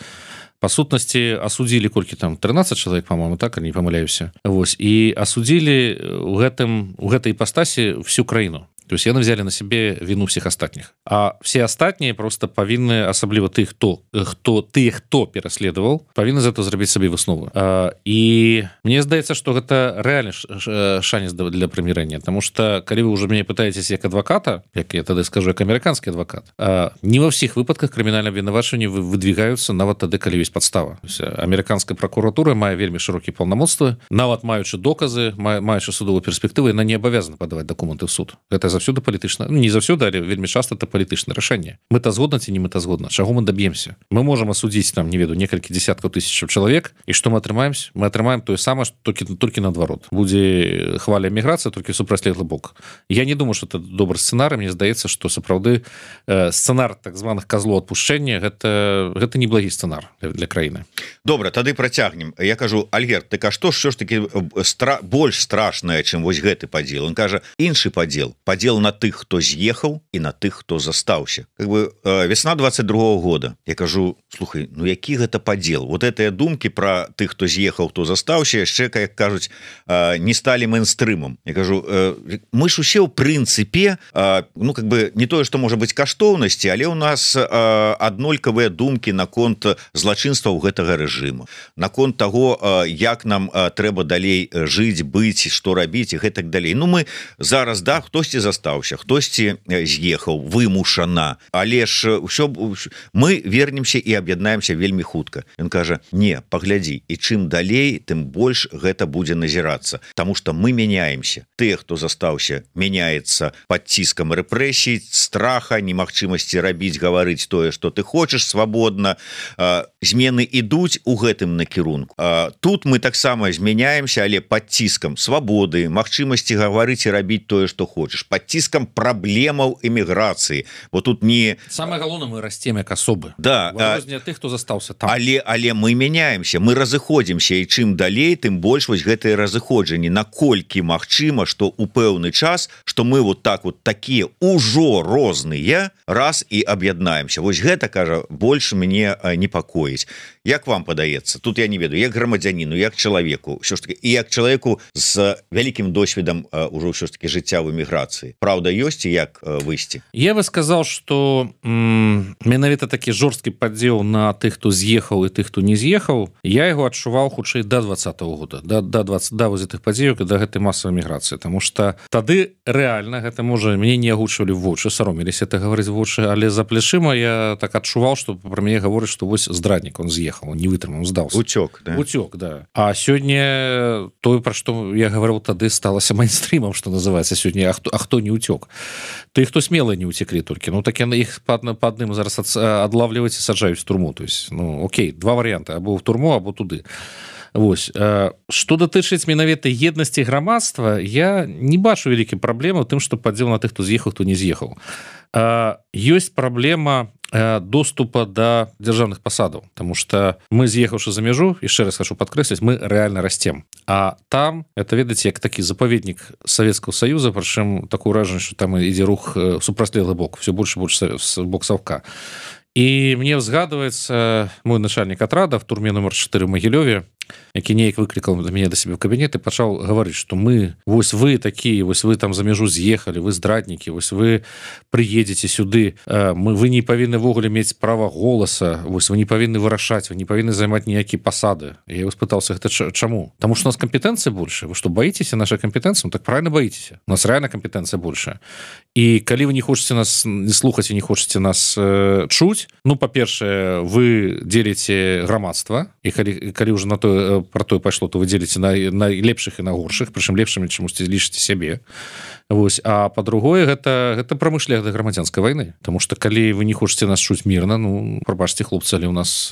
По сутнасці асудзілі колькі там 13 чалавек, по-моему, так, не памыляюся. Вось, і асудзілі у гэтай іпастасі всю краіну. То есть яны взяли на себе вину всех остатних. А все остатние просто повинны, особливо ты, кто переследовал, повинны за это зрабіць себе выснову. И мне здаецца, что это реальный шанец для примирения, потому что, когда вы уже меня пытаетесь как адвоката, как я тогда скажу, как американский адвокат, не во всех выпадках криминального обвинувачивания выдвигаются нават тады, калі есть подстава. Американская прокуратура мае вельмі широкие полномоцтвы, нават маючы доказы, маючы судовую перспективу, яна не обязана подавать документы в суд. Это заўсёды палітычна, не заўсёды, але вельмі часто это палітычнае рашэнне. Мэтазгодна ці не мэтазгодна, чаго мы доб'емся? Мы можем асудзіць там, не веду, некалькі десяткаў тысячаў чалавек, і што мы атрымаем? Мы атрымаем тое самае, толькі наадварот. Будзе хваля міграцыя, толькі супрацьлеглы бок. Я не думаю, што это добры сцэнарый. Мне здаецца, што сапраўды сцэнар так званых козлоў адпушчэння гэта не благі сцэнар для краіны. Добра, тады працягнем. Я кажу: Альгерд, так а што ж таки больш страшнае, чым вось гэты падзел? Он кажа: іншы падзел на тых, хто з'ехаў, і на тых, хто застаўся. Как бы весна 22-го года. Я кажу: слухай, ну які гэта падзел? Вот гэтыя думкі про тых, хто з'ехаў, хто застаўся, яшчэ, як кажуць, не сталі мейнстрымам. Я кажу, мы ж усе ў прынцыпе, ну как бы не тое, што можа быць каштоўнасці, але ў нас аднолькавыя думкі наконт злачынстваў гэтага рэжыму, наконт таго, як нам трэба далей жыць, быць, што рабіць і гэтак далей. Ну мы зараз, да, хтосьці застаўся, хтосьці з'ехаў вымушана, але ж ўсё, мы вернемся і аб'яднаемся вельмі хутка. Ён кажа: не, паглядзі, і чым далей, тым больш гэта будзе назірацца, таму што мы мяняемся. Тыя, хто застаўся, мяняецца пад ціскам рэпрэсій, страха, немагчымасці рабіць, гаварыць тое, што ты хочаш свабодна. Змены ідуць у гэтым накірунку. Тут мы таксама змяняемся, але пад ціскам свабоды, магчымасці гаварыць і рабіць тое, што хочаш, пад ціскам праблемаў эміграцыі. Бо тут не... Самае галоўнае, мы расцем як асобы. Да. Адрозненне ад тых, хто застаўся там. Але мы мяняемся, мы разыходзімся, і чым далей, тым больш вось гэтыя разыходжанні. Наколькі магчыма, што ў пэўны час, што мы вот так вот такія ўжо розныя, раз і аб'яднаемся. Вось гэта, кажа, больш мяне непакоіць. Як вам падаецца? Тут я не ведаю, як грамадзяніну, як чалавеку, ўсё ж таки, і як чалавеку з вялікім досведам ўжо ўсё ж таки жыцця в эміграцыі. Праўда ёсць і як выйсці? Я бы сказал, что менавіта такі жорсткі падзел на тых, хто з'ехаў і тых, хто не з'ехаў, я яго адчуваў хутчэй да 20-го года, да вось гэтых падзеяў, да гэтай масавай міграцыі, таму што тады рэальна гэта можа мяне не агучвалі в вочы, саромеліся это гаварыць в вочы, але за плечыма я так адчуваў, што пра мяне гаворыць, што вось здраднік, он з'ехаў, он не вытрымаў, здаўся. Уцёк, да? Уцёк, да. А сёння тое, пра што я гаварыў тады, сталася мейнстрымам, што называецца сёння, а хто не уцёк? Ты, хто смелыя не уцеклі толькі. Ну, так яны іх па адным зараз адлавліваюць і саджаюць в турму. То есть, ну, окей, два варыянты, або в турму, або туды. Вось. Што датычыць менавіта еднасці грамадства, я не бачу вялікай праблемы ў тым, што падзел на тых, хто з'ехаў, хто не з'ехаў. Ёсць праблема доступа до дзяржаўных пасадаў, потому что мы, з'ехаўшы за мяжу, яшчэ раз хочу падкрэсліць, мы реально растем, а там это, ведаеце, як такі запаведнік Савецкага Саюза, прычым такое ўражанне, что там ідзе рух супрацьлеглы бок, все больше бок савка. І мне згадваецца мой начальнік атрада в турме номер 4 в Магілёве, які неяк выклікаў мяне да сябе ў кабінет і пачаў гаварыць, што мы, вось вы такія, вось вы там за мяжу з'ехалі, вы здраднікі, вось вы прыедзеце сюды, вы не павінны ввогуле мець права голаса, вось вы не павінны вырашаць, вы не павінны займаць ніякія пасады. Я его спытаўся, гэта чаму? Таму што у нас кампетэнцыя большая. Вы што, баіцеся нашай кампетэнцыі? Ну, так правильно баіцеся. У нас реально кампетэнцыя большая. І калі вы не хочаце нас не слухаць і не хочаце нас чуць, ну, па-першае, вы дзеліце грамадства, і калі ўжо на тое про тое пайшло, то вы дзеліце на лепшых і на горшых, прычым лепшымі чамусьці лічыце сябе. Вось, а па-другое, гэта прамы шлях да грамадзянскай вайны, тому што калі вы не хочаце нас чуць мірна, ну, прабачце, хлопцы, але у нас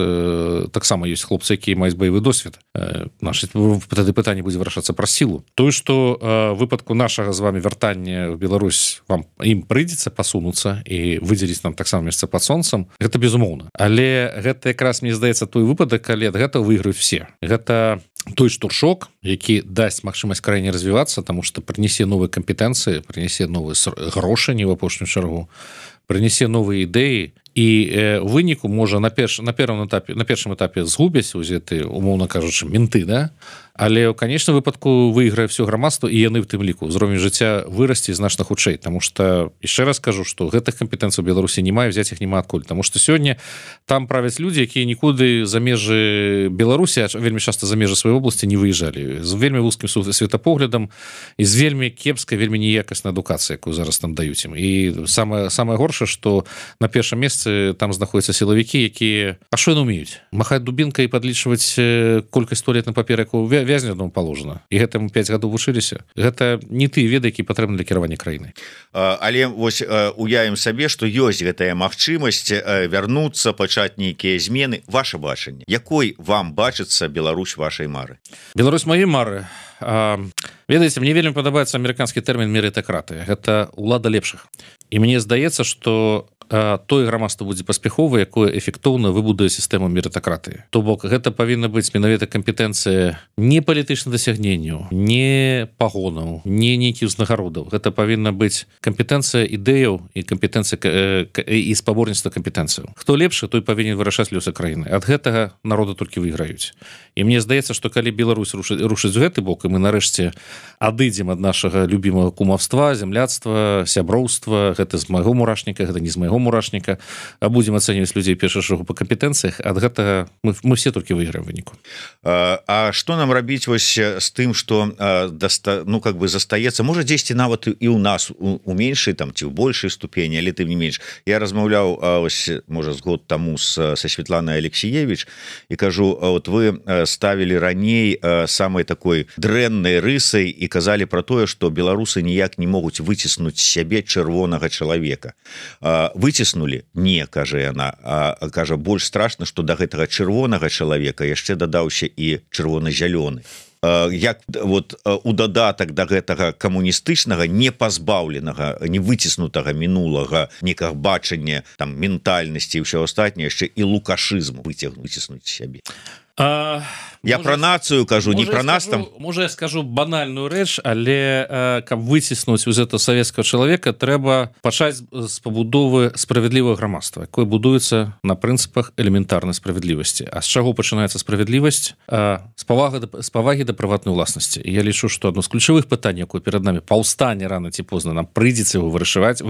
таксама ёсць хлопцы, якія маюць баявы досвед. Тады пытанне будзе вырашацца пра сілу. Тое, што выпадку нашага з вами вяртання в Беларусь ім прыйдзецца пасунуцца і выдзеліць нам таксама месца пад сонцам, гэта безумоўна. Але гэта якраз, мне здаецца, той выпадак, калі ад гэтага выйграюць все. Гэта той штуршок, які дасць магчымасць краіне развівацца, таму што прынясе новыя кампетэнцыі, прынясе новыя грошы, не ў апошнюю чаргу, прынясе новыя ідэі, і у выніку можа на першым этапе згубяць узеты, умоўна кажучы, менты, да? Але ў канечным выпадку выйграе все грамадства, і яны в тым ліку ўзровень жыцця вырасце значна хутчэй, таму што яшчэ раз кажу, што гэтых кампетэнцый у Беларусі няма, взять іх няма адкуль, таму што сёння там правяць людзі, якія нікуды за межы Беларусі, вельмі часта за межы сваёй обласці не выязджалі, з вельмі вузкім светапоглядам і з вельмі кепскай, вельмі неякаснай адукацыяй, якую зараз там даюць ім. І самае горшае, што на першым месцы там знаходзяцца сілавікі, якія що яны ўмеюць? Махаць дубінкай і падлічваць колькасць туалетных папер, якую вязня аднаму паложана. І гэтаму 5 гадоў вучыліся. Гэта не тыя веды, які патрэбны для кіравання краінай. Але вось уявім сабе, што ёсць гэтая магчымасць вярнуцца, пачаць нейкія змены. Ваше бачанне. Якой вам бачыцца Беларусь вашай мары? Беларусь маёй мары. Ведаеце, мне вельмі падабаецца амерыканскі тэрмін мерытакратыя. Гэта ўлада лепшых. І мне здаецца, што тое грамадства будзе паспяховае, якое эфектыўна выбудуе сістэму мерытакратыі. То бок гэта павінна быць менавіта кампетэнцыя не палітычных дасягненняў, не пагонаў, не нейкіх узнагародаў. Гэта павінна быць кампетэнцыя ідэяў і кампетэнцыя і спаборніцтва кампетэнцыяў. Хто лепшы, той павінен вырашаць лёсы краіны. Ад гэтага народу толькі выйграюць. І мне здаецца, што калі Беларусь рушыць у гэты бок, і мы нарэшце адыдзем ад нашага любімага кумаўства, зямляцтва, сяброўства, гэта з майго мурашніка, гэта не з майго мурашніка, а будзем ацэньваць людзей першага шагу па кампетэнцыях, ад гэтага мы все толькі выйграем выніку. А што нам рабіць вось з тым, што ну как бы застаецца, можа дзесьці нават і ў нас у меншай там ці ў большай ступені, але тым не менш. Я размаўляў ось можа з год таму са Светланай Алексіевіч і кажу, вот вы ставілі раней самай такой дрэннай рысай і казалі пра тое, што беларусы ніяк не могуць выціснуць сябе чырвонага чалавека. Выціснулі? Не, кажа яна. Кажа, больш страшна, што да гэтага чырвонага чалавека яшчэ дадаўся і чырвона-зялёны. Як вот у дадатак да гэтага камуністычнага, не пазбаўленага, не выціснутага мінулага некага бачання, там, ментальнасці і ўсё астатняе, яшчэ і лукашызму выціснуць сябе. Я пра нацыю кажу, не пра нас там. Можа, я скажу банальную рэч, але каб выціснуць з этого савецкага чалавека, трэба пачаць з пабудовы справядлівага грамадства, якое будуецца на прынцыпах элементарнай справядлівасці. А з чаго пачынаецца справядлівасць? З павагі да прыватнай уласнасці. І я лічу, што адно з ключавых пытанняў, якое перад намі паўстане рана ці позна, нам прыйдзецца яго вырашаць,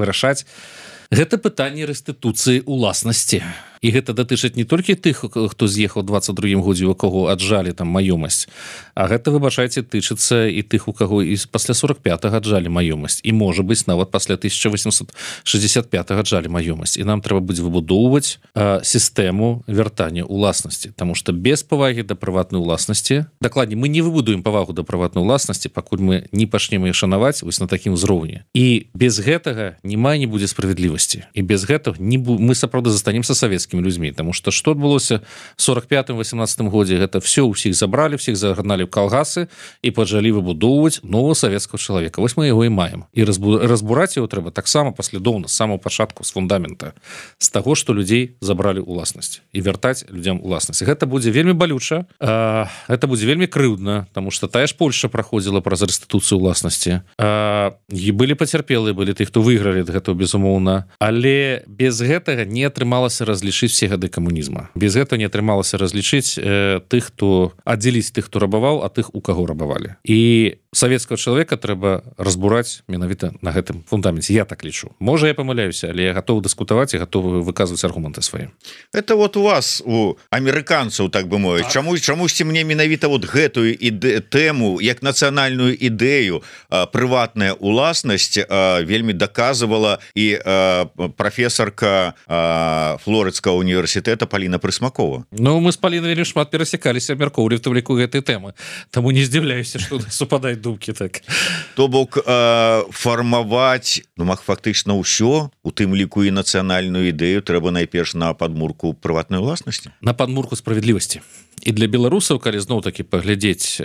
гэта пытанне рэстытуцыі ўласнасці. І гэта датычыць не толькі тых, хто з'ехаў 22-м годзе, у каго аджалі там маёмасць, а гэта, выбачайце, тычыцца і тых, у каго і пасля 45-га аджалі маёмасць. І, можа быць, нават пасля 1865-га аджалі маёмасць. І нам трэба будзе выбудоўваць сістэму вяртання ўласнасці. Таму што без павагі да прыватнай уласнасці, дакладней, мы не выбудуем павагу да прыватнай уласнасці, пакуль мы не пачнем яе шанаваць вось на такім узроўні. І без гэтага няма не будзе справядлівасці. І без гэтага мы сапраўды застанемся савецкімі людзьмі, таму што адбылося в 45-18 годзе, гэта все усіх забралі, всіх загналі в калгасы і пачалі выбудоўваць нового савецкага чалавека. Вось мы яго і маем. І разбураць яго трэба таксама паслядоўна з самого пачатку, з фундамента, з таго, што людзей забралі ўласнасць і вяртаць людзям уласнасць. Гэта будзе вельмі балюча, гэта будзе вельмі крыўдна, таму што тая ж Польша праходзіла праз рэстытуцыю ўласнасці. І былі пацярпелыя, былі тых, хто выйгралі ад гэтага, безумоўна. Але без гэтага не атрымалася разлічыць все гады камунізма. Без гэтага не атрымалася разлічыць тых, хто аддзеліць тых, хто рабаваў, а тых, у каго рабавалі. І савецкага чалавека трэба разбураць менавіта на гэтым фундаменце. Я так лічу. Можа, я памыляюся, але я гатовы дыскутаваць і гатовы выказваць аргументы свае. Это вот у вас, у амерыканцаў, так бы мовіць, чамусьці мне менавіта вот гэтую тэму як нацыянальную ідэю прыватная уласнасць вельмі даказывала і прафесарка Флорыдскага універсітэта Паліна Прысмакова. Ну, мы з Палінай вельмі шмат перасякаліся, абмяркоўвалі в тым ліку гэтай тэмы. Таму не здзіўляюся, што супадаюць думкі так. То бок фармаваць, ну, фактычна ўсё, у тым ліку і нацыянальную ідэю трэба найперш на падмурку прыватнай уласнасці. На падмурку справядлівасці. І для беларусаў, калі зноў-такі паглядзець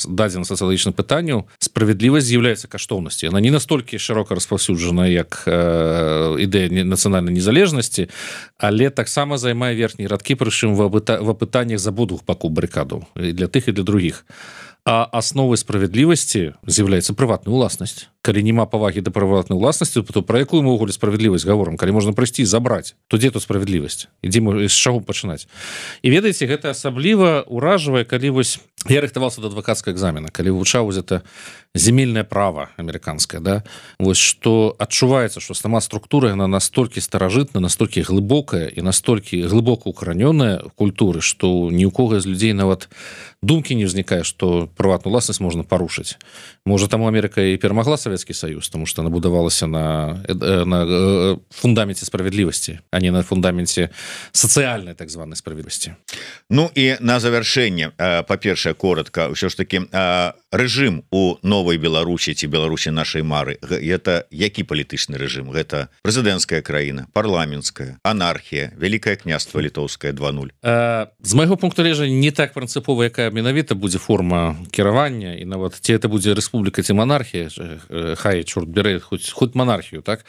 дадзена сацыялагічных пытанняў, справядлівасць з'яўляецца каштоўнасці. Яна не настолькі шырока распаўсюджана, як ідэя нацыянальнай незалежнасці, але таксама займае верхнія радкі, прычым в апытаннях з абодвух бакоў барыкадаў, і для тых, і для другіх. А асновай справядлівасці з'яўляецца прыватная ўласнасць. Калі няма павагі да прыватнай уласнасці, то пра якую мы ўвогуле справядлівасць гаворым? Калі можна прыйсці і забраць, то дзе тут справядлівасць? З чаго пачынаць? І ведаеце, гэта асабліва ўражвае, калі вось я рыхтаваўся да адвакацкага экзамена, калі вывучаў гэта земельнае права амерыканскае, да? Вось што адчуваецца, што сама структура яна настолькі старажытна, настолькі глыбокая і настолькі глыбока укаранёная в культуры, што ні ў кого з людзей нават думкі не ўзнікае, што прыватную уласнасць можна парушыць. Можа, таму Амерыка і перамагла Савецкі Саюз, тому што она будавалася на фундаменце справядлівасці, а не на фундаменце сацыяльнай так званай справядлівасці. Ну і на завяршэнне, па-першае, коротка, ўсё ж такі рэжым у новай Беларусі ці Беларусі нашай мары, гэта які палітычны рэжым? Гэта прэзідэнцкая краіна, парламенцкая, анархія, Вялікае княства літоўскае 2.0? З майго пункту гледжання не так прынцыпова, якая менавіта будзе форма кіравання, і нават ці это будзе рэспубліка ці монархія, хай, чорт бярэ, хоць монархію, так?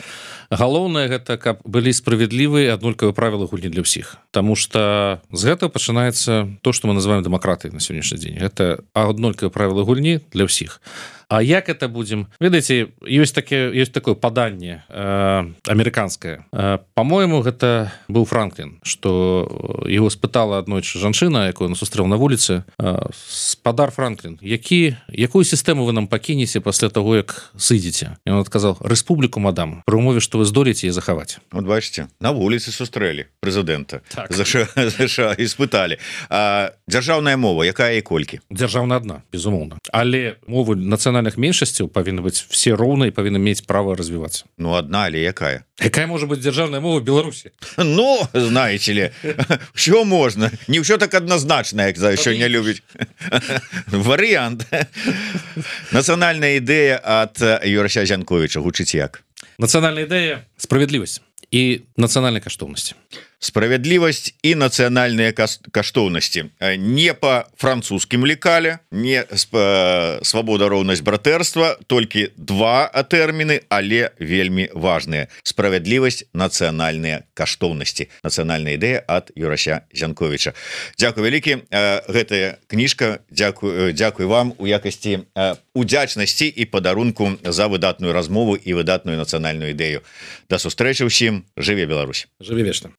Галоўнае гэта, каб былі справядлівыя аднолькавыя правілы гульні для ўсіх. Таму што з гэтага пачынаецца то, што мы называем дэмакратыяй на сённяшні дзень. Гэта аднолькавыя правілы гульні для ўсіх. А як это будзем? Ведаеце, ёсць такое паданне амерыканскае. Па-мойму, гэта быў Франклін, што яго спытала аднойчы жанчына, якую ён сустрэў на вуліцы: спадар Франклін, якую сістэму вы нам пакінеце пасля таго, як сыдзеце? І ён адказаў: рэспубліку, мадам, пры умове, што вы здолеце яе захаваць. Вот бачыце, на вуліцы сустрэлі прэзідэнта, так. ЗША і спыталі. Дзяржаўная мова, якая і колькі? Дзяржаўная адна, безумоўна. Але мовы нацыянальных меншасцяў павінны быць все роўныя і павінны мець права развівацца. Ну, адна, але якая? Якая можа быць дзяржаўная мова в Беларусі? Ну, знаете ли, ўсё можна. Не ўсё так адназначна, як сёння любіць. Варыянт. Нацыянальная ідэя ад Юрася Зянковіча гучыць як? Нацыянальная ідэя — справядлівасць і нацыянальнай каштоўнасці. Справядлівасць і нацыянальныя каштоўнасці. Не па французскім лекале, не свабода, роўнасць, братэрства, толькі два тэрміны, але вельмі важныя. Справядлівасць, нацыянальныя каштоўнасці. Нацыянальная ідэя ад Юрася Зянковіча. Дзякуй вялікі. Гэтая кніжка, дзякуй вам у якасці удзячнасці і падарунку за выдатную размову і выдатную нацыянальную ідэю. Да сустрэчы ўсім. Жыве Беларусь. Жыве вечна.